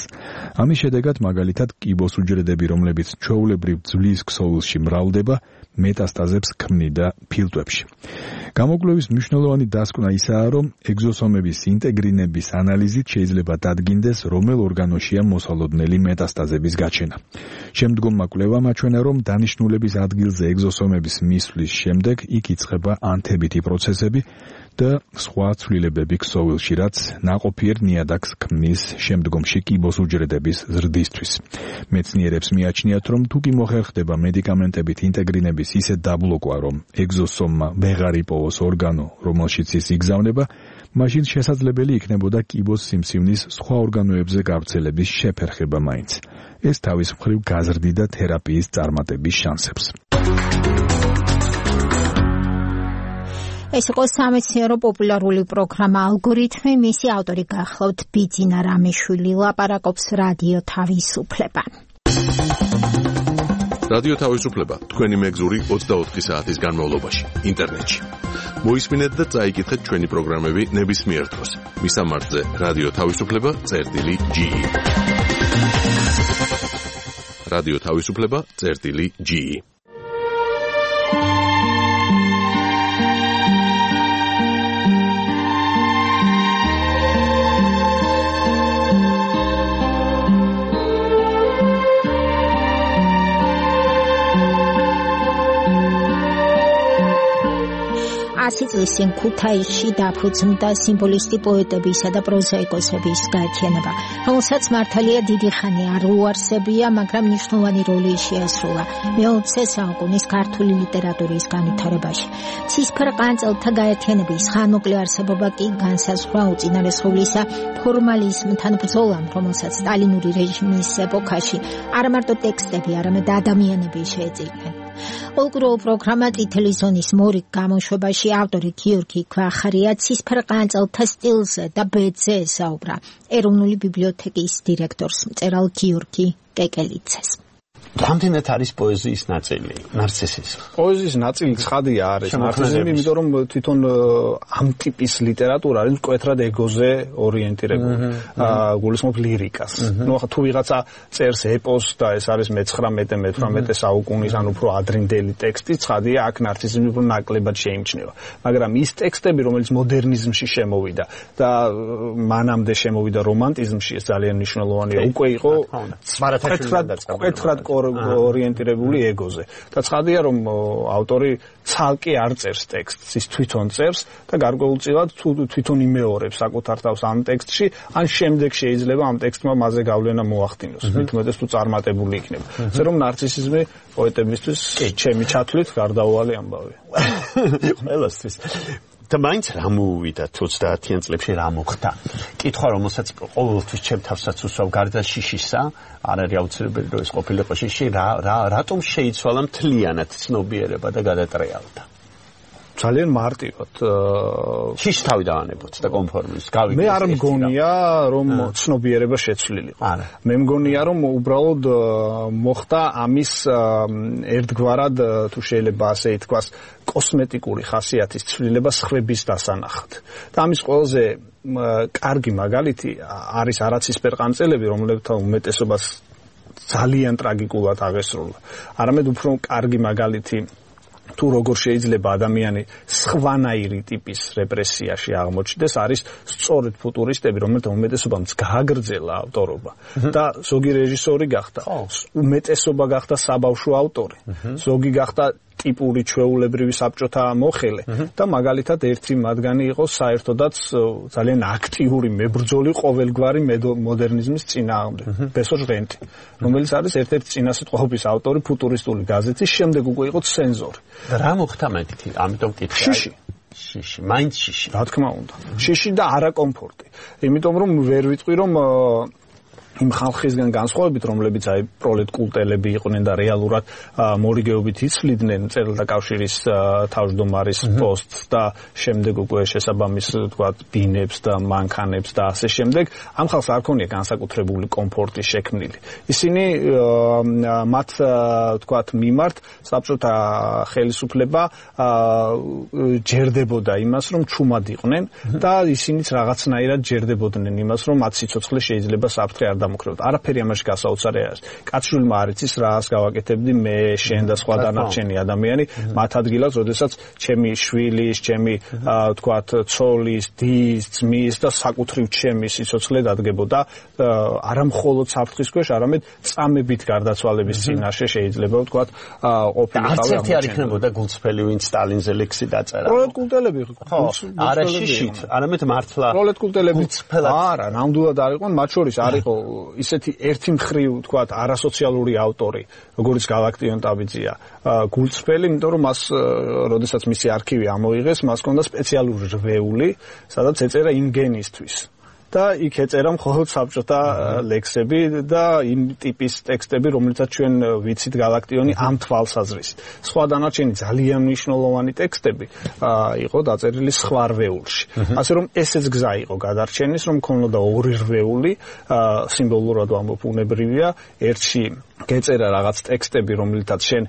ამის შედეგად მაგალითად კიბოს უჯრედები, რომლებიც ჩვეულებრივ ძვლის ქსოვილში მრავლდება, მეტასტაზებს ქმნიდა ფილტვებში. გამოკვლევის მნიშვნელოვანი დასკვნა ისაა, რომ ეგზოსომების ინტეგრინების ანალიზით შეიძლება დადგინდეს, რომელ ორგანოშია მოსალოდნელი მეტასტაზების გაჩენა. შემდგომმა კვლევამ აჩვენა, რომ დანიშნულების ადგილზე ეგზოსომების მისვლის შემდეგ იქ იწყება ანთებითი პროცესები და სხვა ცვლილებები ქსოვილში, რაც ნაყოფიერ ნიადაგს ქმნის შემდგომში კიბოს უჯრედების ზრდისთვის. მეცნიერებს მიაჩნიათ, რომ თუ კი მოხერხდება მედიკამენტებით ინტეგრინების ისეთ დაბლოკვა, რომ ეგზოსომმა ვეღარ იპოვოს ორგანო, რომელშიც ის იგზავნება, მაშინ შესაძლებელი იქნებოდა კიბოს სიმსივნის სხვა ორგანოებზე გავრცელების შეფერხება მაინც. ეს თავის მხრივ გაზრდიდა თერაპიის წარმატების შანსებს. ეს იყო სამეცნიერო პოპულარული პროგრამა ალგორითმი, მისი ავტორი გახლავთ ბიძინა რამიშვილი, ლაპარაკობს რადიო თავისუფლება. რადიო თავისუფლება თქვენი მეგზური 24 საათის განმავლობაში ინტერნეტში. მოისმინეთ და წაიკითხეთ ჩვენი პროგრამები ნებისმიერ დროს. მისამართზე რადიო თავისუფლება.ge. რადიო თავისუფლება.ge. წლის წინ ქუთაისში დაფუძნდა სიმბოლისტი პოეტებისა და პროზაიკოსების გაერთიანება, რომელსაც მართალია დიდი ხანი არ უარსებია, მაგრამ მნიშვნელოვანი როლი შეასრულა მე-20 საუკუნის ქართული ლიტერატურის განვითარებაში. ცისფერყანწელთა გაერთიანების ხანმოკლე არსებობა კი განსაზღვრა უწინარესხულისა ფორმალიზმთან ბრძოლამ, რომელსაც სტალინური რეჟიმის ეპოქაში არა მარტო ტექსტები, არამედ ადამიანები შეეწირნენ. Ოლკროულ პროგრამა წითელი ზონის მორიგ გამოშვებაში ავტორი გიორგი ქვახარია ცისფერყანწელთა სტილზე და ბედზე ესაუბრა ეროვნული ბიბლიოთეკის დირექტორს მწერალ გიორგი კეკელიძეს. რამდენად არის პოეზიის ნაწილი ნარცისის? პოეზიის ნაწილი ცხადია არის ნარცისიზმი, იმიტომ რომ თვითონ ამ ტიპის ლიტერატურა არის მკვეთრად ეგოზე ორიენტირებული. გულისხმობ ლირიკას. ნუ ახლა თუ ვიღაცა წერს ეპოსს და ეს არის მე-19-18 საუკუნის ან უფრო ადრინდელი ტექსტი, ცხადია აქ ნარცისიზმი უფრო ნაკლებად შეიმჩნევა. მაგრამ ის ტექსტები, რომელიც მოდერნიზმში შემოვიდა და მანამდე შემოვიდა რომანტიზმში, ეს ძალიან მნიშვნელოვანია. უკვე იყო მკვეთრად ორიენტირებული ეგოზე. და ცხადია, რომ ავტორი ცალკე არ წერს ტექსტს, ის თვითონ წერს და გარკვეულწილად თვითონ იმეორებს საკუთარ თავს ამ ტექსტში, ან შემდეგ შეიძლება ამ ტექსტმა მასზე გავლენა მოახდინოს. მithumetes თუ წარმატებული იქნება. ასე რომ ნარცისიზმი პოეტებისთვის ჩემი ჩათვლით გარდაუვალი ამბავია. ყველასთვის. და მაინც რა მოუვიდა 30-იან წლებში რა მოხდა? კითხვა, რომელსაც ყოველთვის ჩემ თავსაც უსვავ, გარდა შიშისა, არ არის აუცილებელი რომ ეს ყოფილიყო შიში, რატომ შეიცვალა მთლიანად ცნობიერება და გადატრიალდა? ძალიან მარტივად შიში თავი დაანებოთ და კონფორმის გავიგეთ. მე არ მგონია რომ ცნობიერება შეცვლილიყო. მე მგონია რომ უბრალოდ მოხდა ამის ერთგვარად თუ შეიძლება ასე ითქვას კოსმეტიკური ხასიათის ცვლილება სხვების დასანახად. და ამის ყველაზე კარგი მაგალითი არის არაცისფერყანწელები, რომლებთან უმეტესობას ძალიან ტრაგიკულად აღესრულა. არამედ უფრო კარგი მაგალითი თუ როგორ შეიძლება ადამიანი სხვანაირი ტიპის რეპრესიაში აღმოჩნდეს, არის სწორედ ფუტურისტები, რომელთა უმეტესობამ გააგრძელა ავტორობა და ზოგი რეჟისორი გახდა, უმეტესობა გახდა საბავშვო ავტორი, ზოგი გახდა ტიპური ჩვეულებრივი საბჭოთა მოხელე და მაგალითად ერთი მათგანი იყო საერთოდაც ძალიან აქტიური მებრძოლი ყოველგვარი მოდერნიზმის წინააღმდეგ ბესო ჟღენტი რომელიც არის ერთ-ერთი წინასიტყვაობის ავტორი ფუტურისტული გაზეთის შემდეგ უკვე იყო ცენზორი და რა მოხდა მეთქი ამიტომ კითხე შიში მაინც შიში რა თქმა უნდა შიში და არა კომფორტი იმიტომ რომ ვერ ვიტყვი რომ იმ ხალხისგან განსხვავებით, რომლებიც აი პროლეტკულტელები იყვნენ და რეალურად მორიგეობით იცვლიდნენ მწერალთა კავშირის თავმჯდომარის პოსტს და შემდეგ უკვე შესაბამის თქვათ ბინებს და მანქანებს და ასე შემდეგ, ამ ხალხს არ ქონია განსაკუთრებული კომფორტი შექმნილი. ისინი მათ თქვათ მიმართ საბჭოთა ხელისუფლება ჯერდებოდა იმას, რომ ჩუმად იყვნენ და ისინიც რაღაცნაირად ჯერდებოდნენ იმას, რომ მათ სიცოცხლე შეიძლება საფრთხე არ დამოკრებოდ. არაფერი ამაში გასაოცარი არ არის. კაცშვილმა არ იცის რას გავაკეთებდი მე, შენ და სხვა დანარჩენი ადამიანი მათ ადგილას, როდესაც ჩემი შვილის, ჩემი თქვათ ცოლის, დის, ძმის და საკუთრივ ჩემი სიცოცხლე დადგებოდა არა მხოლოდ საფრთხის ქვეშ, არამედ წამებით გარდაცვალების წინაშე შეიძლება ვთქვათ ყოფილიყავი. არც ერთი არ იქნებოდა გულწრფელი, ვინც სტალინზე ლექსი დაწერა. პროლეტკულტელები ხო, არა შიშით, არამედ მართლა პროლეტკულტელები არა, ნამდვილად არ იყვნენ, მათ შორის არ იყო ისეთი ერთი მხრივ თქვათ არასოციალური ავტორი, როგორც გალაქტიონ ტაბიძია, გულწრფელი, იმიტომ რომ მას როდესაც მისი არქივი ამოიღეს, მას ჰქონდა სპეციალური რვეული, სადაც ეწერა იმ გენისთვის. და იქ ეწერა მხოლოდ საბჭოთა ლექსები და იმ ტიპის ტექსტები, რომლითაც ჩვენ ვიცით გალაქტიონი ამ თვალსაზრისით. სხვა დანარჩენი ძალიან მნიშვნელოვანი ტექსტები იყო დაწერილი სხვა რვეულში. ასე რომ ესეც გზა იყო გადარჩენის, რომ ქონოდა ორი რვეული, სიმბოლურად ვამბობ უნებრივია, ერთში გეწერა რაღაც ტექსტები, რომლითაც შენ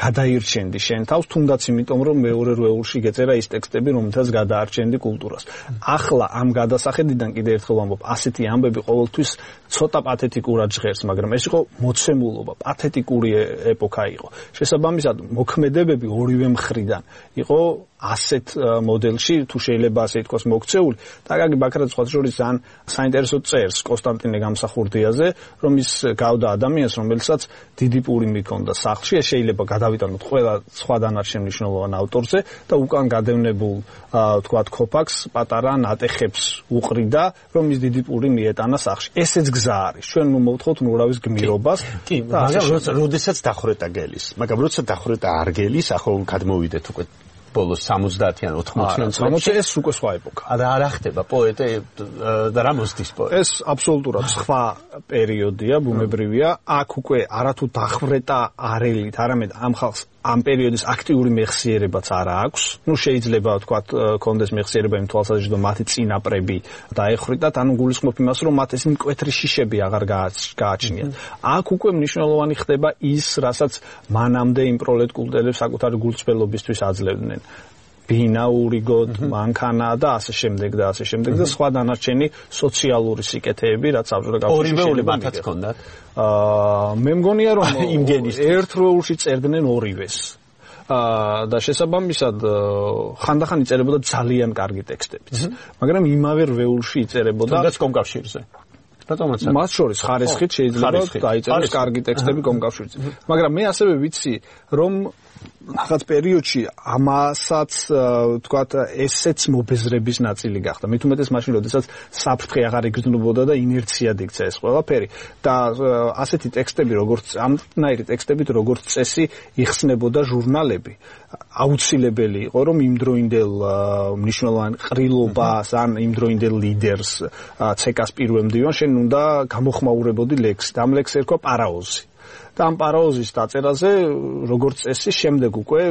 გადაირჩენდი შენ თავს, თუნდაც იმიტომ, რომ მეორე რვეულში გეწერა ის ტექსტები, რომლითაც გადაარჩენდი კულტურას. ახლა ამ გადასახედიდან კიდე ერთხელ ვამბობ, ასეთი ამბები ყოველთვის ცოტა პათეტიკურად ჟღერს, მაგრამ ეს იყო მოცემულობა, პათეტიკური ეპოქა იყო. შესაბამისად, მოქმედებები ორივე მხრიდან იყო ასეთ მოდელში, თუ შეიძლება ასე ითქვას, მოქცეული. და გაგი ბაქრაძე სხვა შორის ძალიან საინტერესო წერს კონსტანტინე გამსახურდიაზე, რომ ის გავდა ადამიანს, რომელსაც დიდი პური მიქონდა სახლში, ეს შეიძლება გადავიტანოთ ყველა სხვა დანარჩენ მნიშვნელოვან ავტორზე და უკან გადევნებულ თქვათ ქოფაქს პატარა ნატეხებს უყრიდა, რომ ის დიდი პური მიეტანა სახლში. ესეც გზა არის. ჩვენ მოვთხოვთ ნურავის გმირობას. კი, მაგრამ როდესაც დახვრეტა გელის, მაგრამ როცა დახვრეტა არ გელის, ახლა გადმოვიდეთ უკვე ბოლოს 70-იან 80-იან წლებში ეს უკვე სხვა ეპოქა. არა ხდება პოეტე და რა მოსდის პოეტი. ეს აბსოლუტურად სხვა პერიოდია, ბუნებრივია. აქ უკვე არათუ დახვრეტა არელით, არამედ ამ ხალხს ამ პერიოდის აქტიური მეხსიერებაც არა აქვს. ნუ შეიძლება ვთქვათ, კონდეს მეხსიერება იმ თვალსაზრისით, რომ მათი წინაპრები დაეხრიტათ, ანუ გულისხმობ იმას, რომ მათ ეს მკვეთრი შიშები აღარ გააჩნიათ. აქ უკვე მნიშვნელოვანი ხდება ის, რასაც მანამდე იმ პროლეტკულტელებს საკუთარი გულწრფელობისთვის აძლევდნენ. ბინა, ურიგოდ, მანქანა და ასე შემდეგ და ასე შემდეგ და სხვა დანარჩენი სოციალური სიკეთეები, რაც საბჭოთა კავშირში ორივე მათაც ჰქონდათ. მე მგონია რომ ერთ როულში წერდნენ ორივეს. და შესაბამისად ხანდახან იწერებოდა ძალიან კარგი ტექსტებიც. მაგრამ იმავე როულში იწერებოდა თუნდაც კომკავშირზე. მათ შორის ხარისხით შეიძლება დაიწეროს კარგი ტექსტები კომკავშირზე. მაგრამ მე ასევე ვიცი, რომ რაღაც პერიოდში ამასაც თქვათ ესეც მობეზრების ნაწილი გახდა. მით უმეტეს მაშინ, როდესაც საფრთხე აღარ იგრძნობოდა და ინერციად იქცა ეს ყველაფერი და ასეთი ტექსტები, როგორც ამნაირი ტექსტებით, როგორც წესი, იხსნებოდა ჟურნალები. აუცილებელი იყო, რომ იმდროინდელ მნიშვნელოვან ყრილობას ან იმდროინდელ ლიდერს ცეკას პირველ მდივანს შენ უნდა გამოხმაურებოდი ლექსი. ამ ლექსს ერქვა პარაოზი. და ამ პარაოზის დაწერაზე, როგორც წესი, შემდეგ უკვე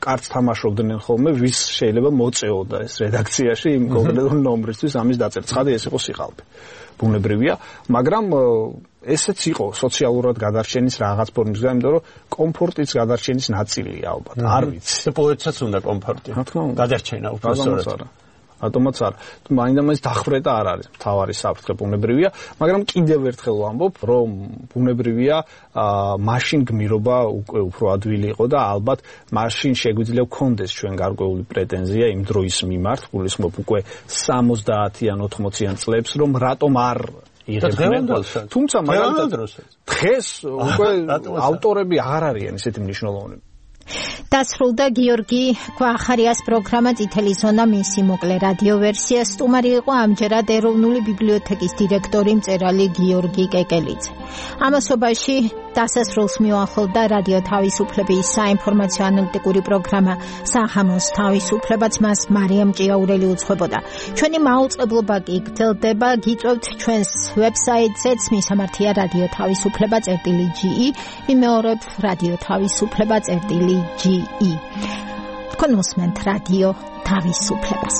კარც თამაშობდნენ ხოლმე, ვის შეიძლება მოწეოდა ეს რედაქციაში იმ კონკრეტულ ნომრისთვის ამის დაწერა. ცხადია, ეს იყო სიყალბე. ბუნებრივია, მაგრამ ესეც იყო სოციალურად გადარჩენის რაღაც ფორმის გზა, იმიტომ რომ კომფორტის გადარჩენის ნაწილია ალბათ. არ ვიცი. პოეტსაც უნდა კომფორტი. რა თქმა უნდა. გადარჩენა უბრალოდ. ატომაც არა. მაინდა-მაინც დახვრეტა არ არის მთავარი საფრთხე, ბუნებრივია, მაგრამ კიდევ ერთხელ ვამბობ, რომ ბუნებრივია, მაშინ გმირობა უკვე უფრო ადვილი იყო და ალბათ მაშინ შეგვიძლია გქონდეს ჩვენ გარკვეული პრეტენზია იმ დროის მიმართ, გულისხმობ უკვე 70-იან 80-იან წლებს, რომ რატომ არ იღებდნენ. თუმცა მაგალითად დღეს უკვე ავტორები აღარ არიან ისეთი მნიშვნელოვანი. დასრულდა გიორგი გვახარიას პროგრამა წითელი ზონა მისი მოკლე რადიო ვერსია. სტუმარი იყო ამჯერად ეროვნული ბიბლიოთეკის დირექტორი მწერალი გიორგი კეკელიძე. ამასობაში დასასრულს მიუახლოვდა რადიო თავისუფლების საინფორმაციო ანალიტიკური პროგრამა სახამოს თავისუფლებაც, მას მარიამ ჭიაურელი უძღვებოდა. ჩვენი მაუწყებლობა კი გრძელდება, გიწევთ ჩვენს ვებსაიტზეც მისამართია რადიო თავისუფლება.ge, ვიმეორებ რადიო თავისუფლება.ge. თქვენ უსმენთ რადიო თავისუფლებას.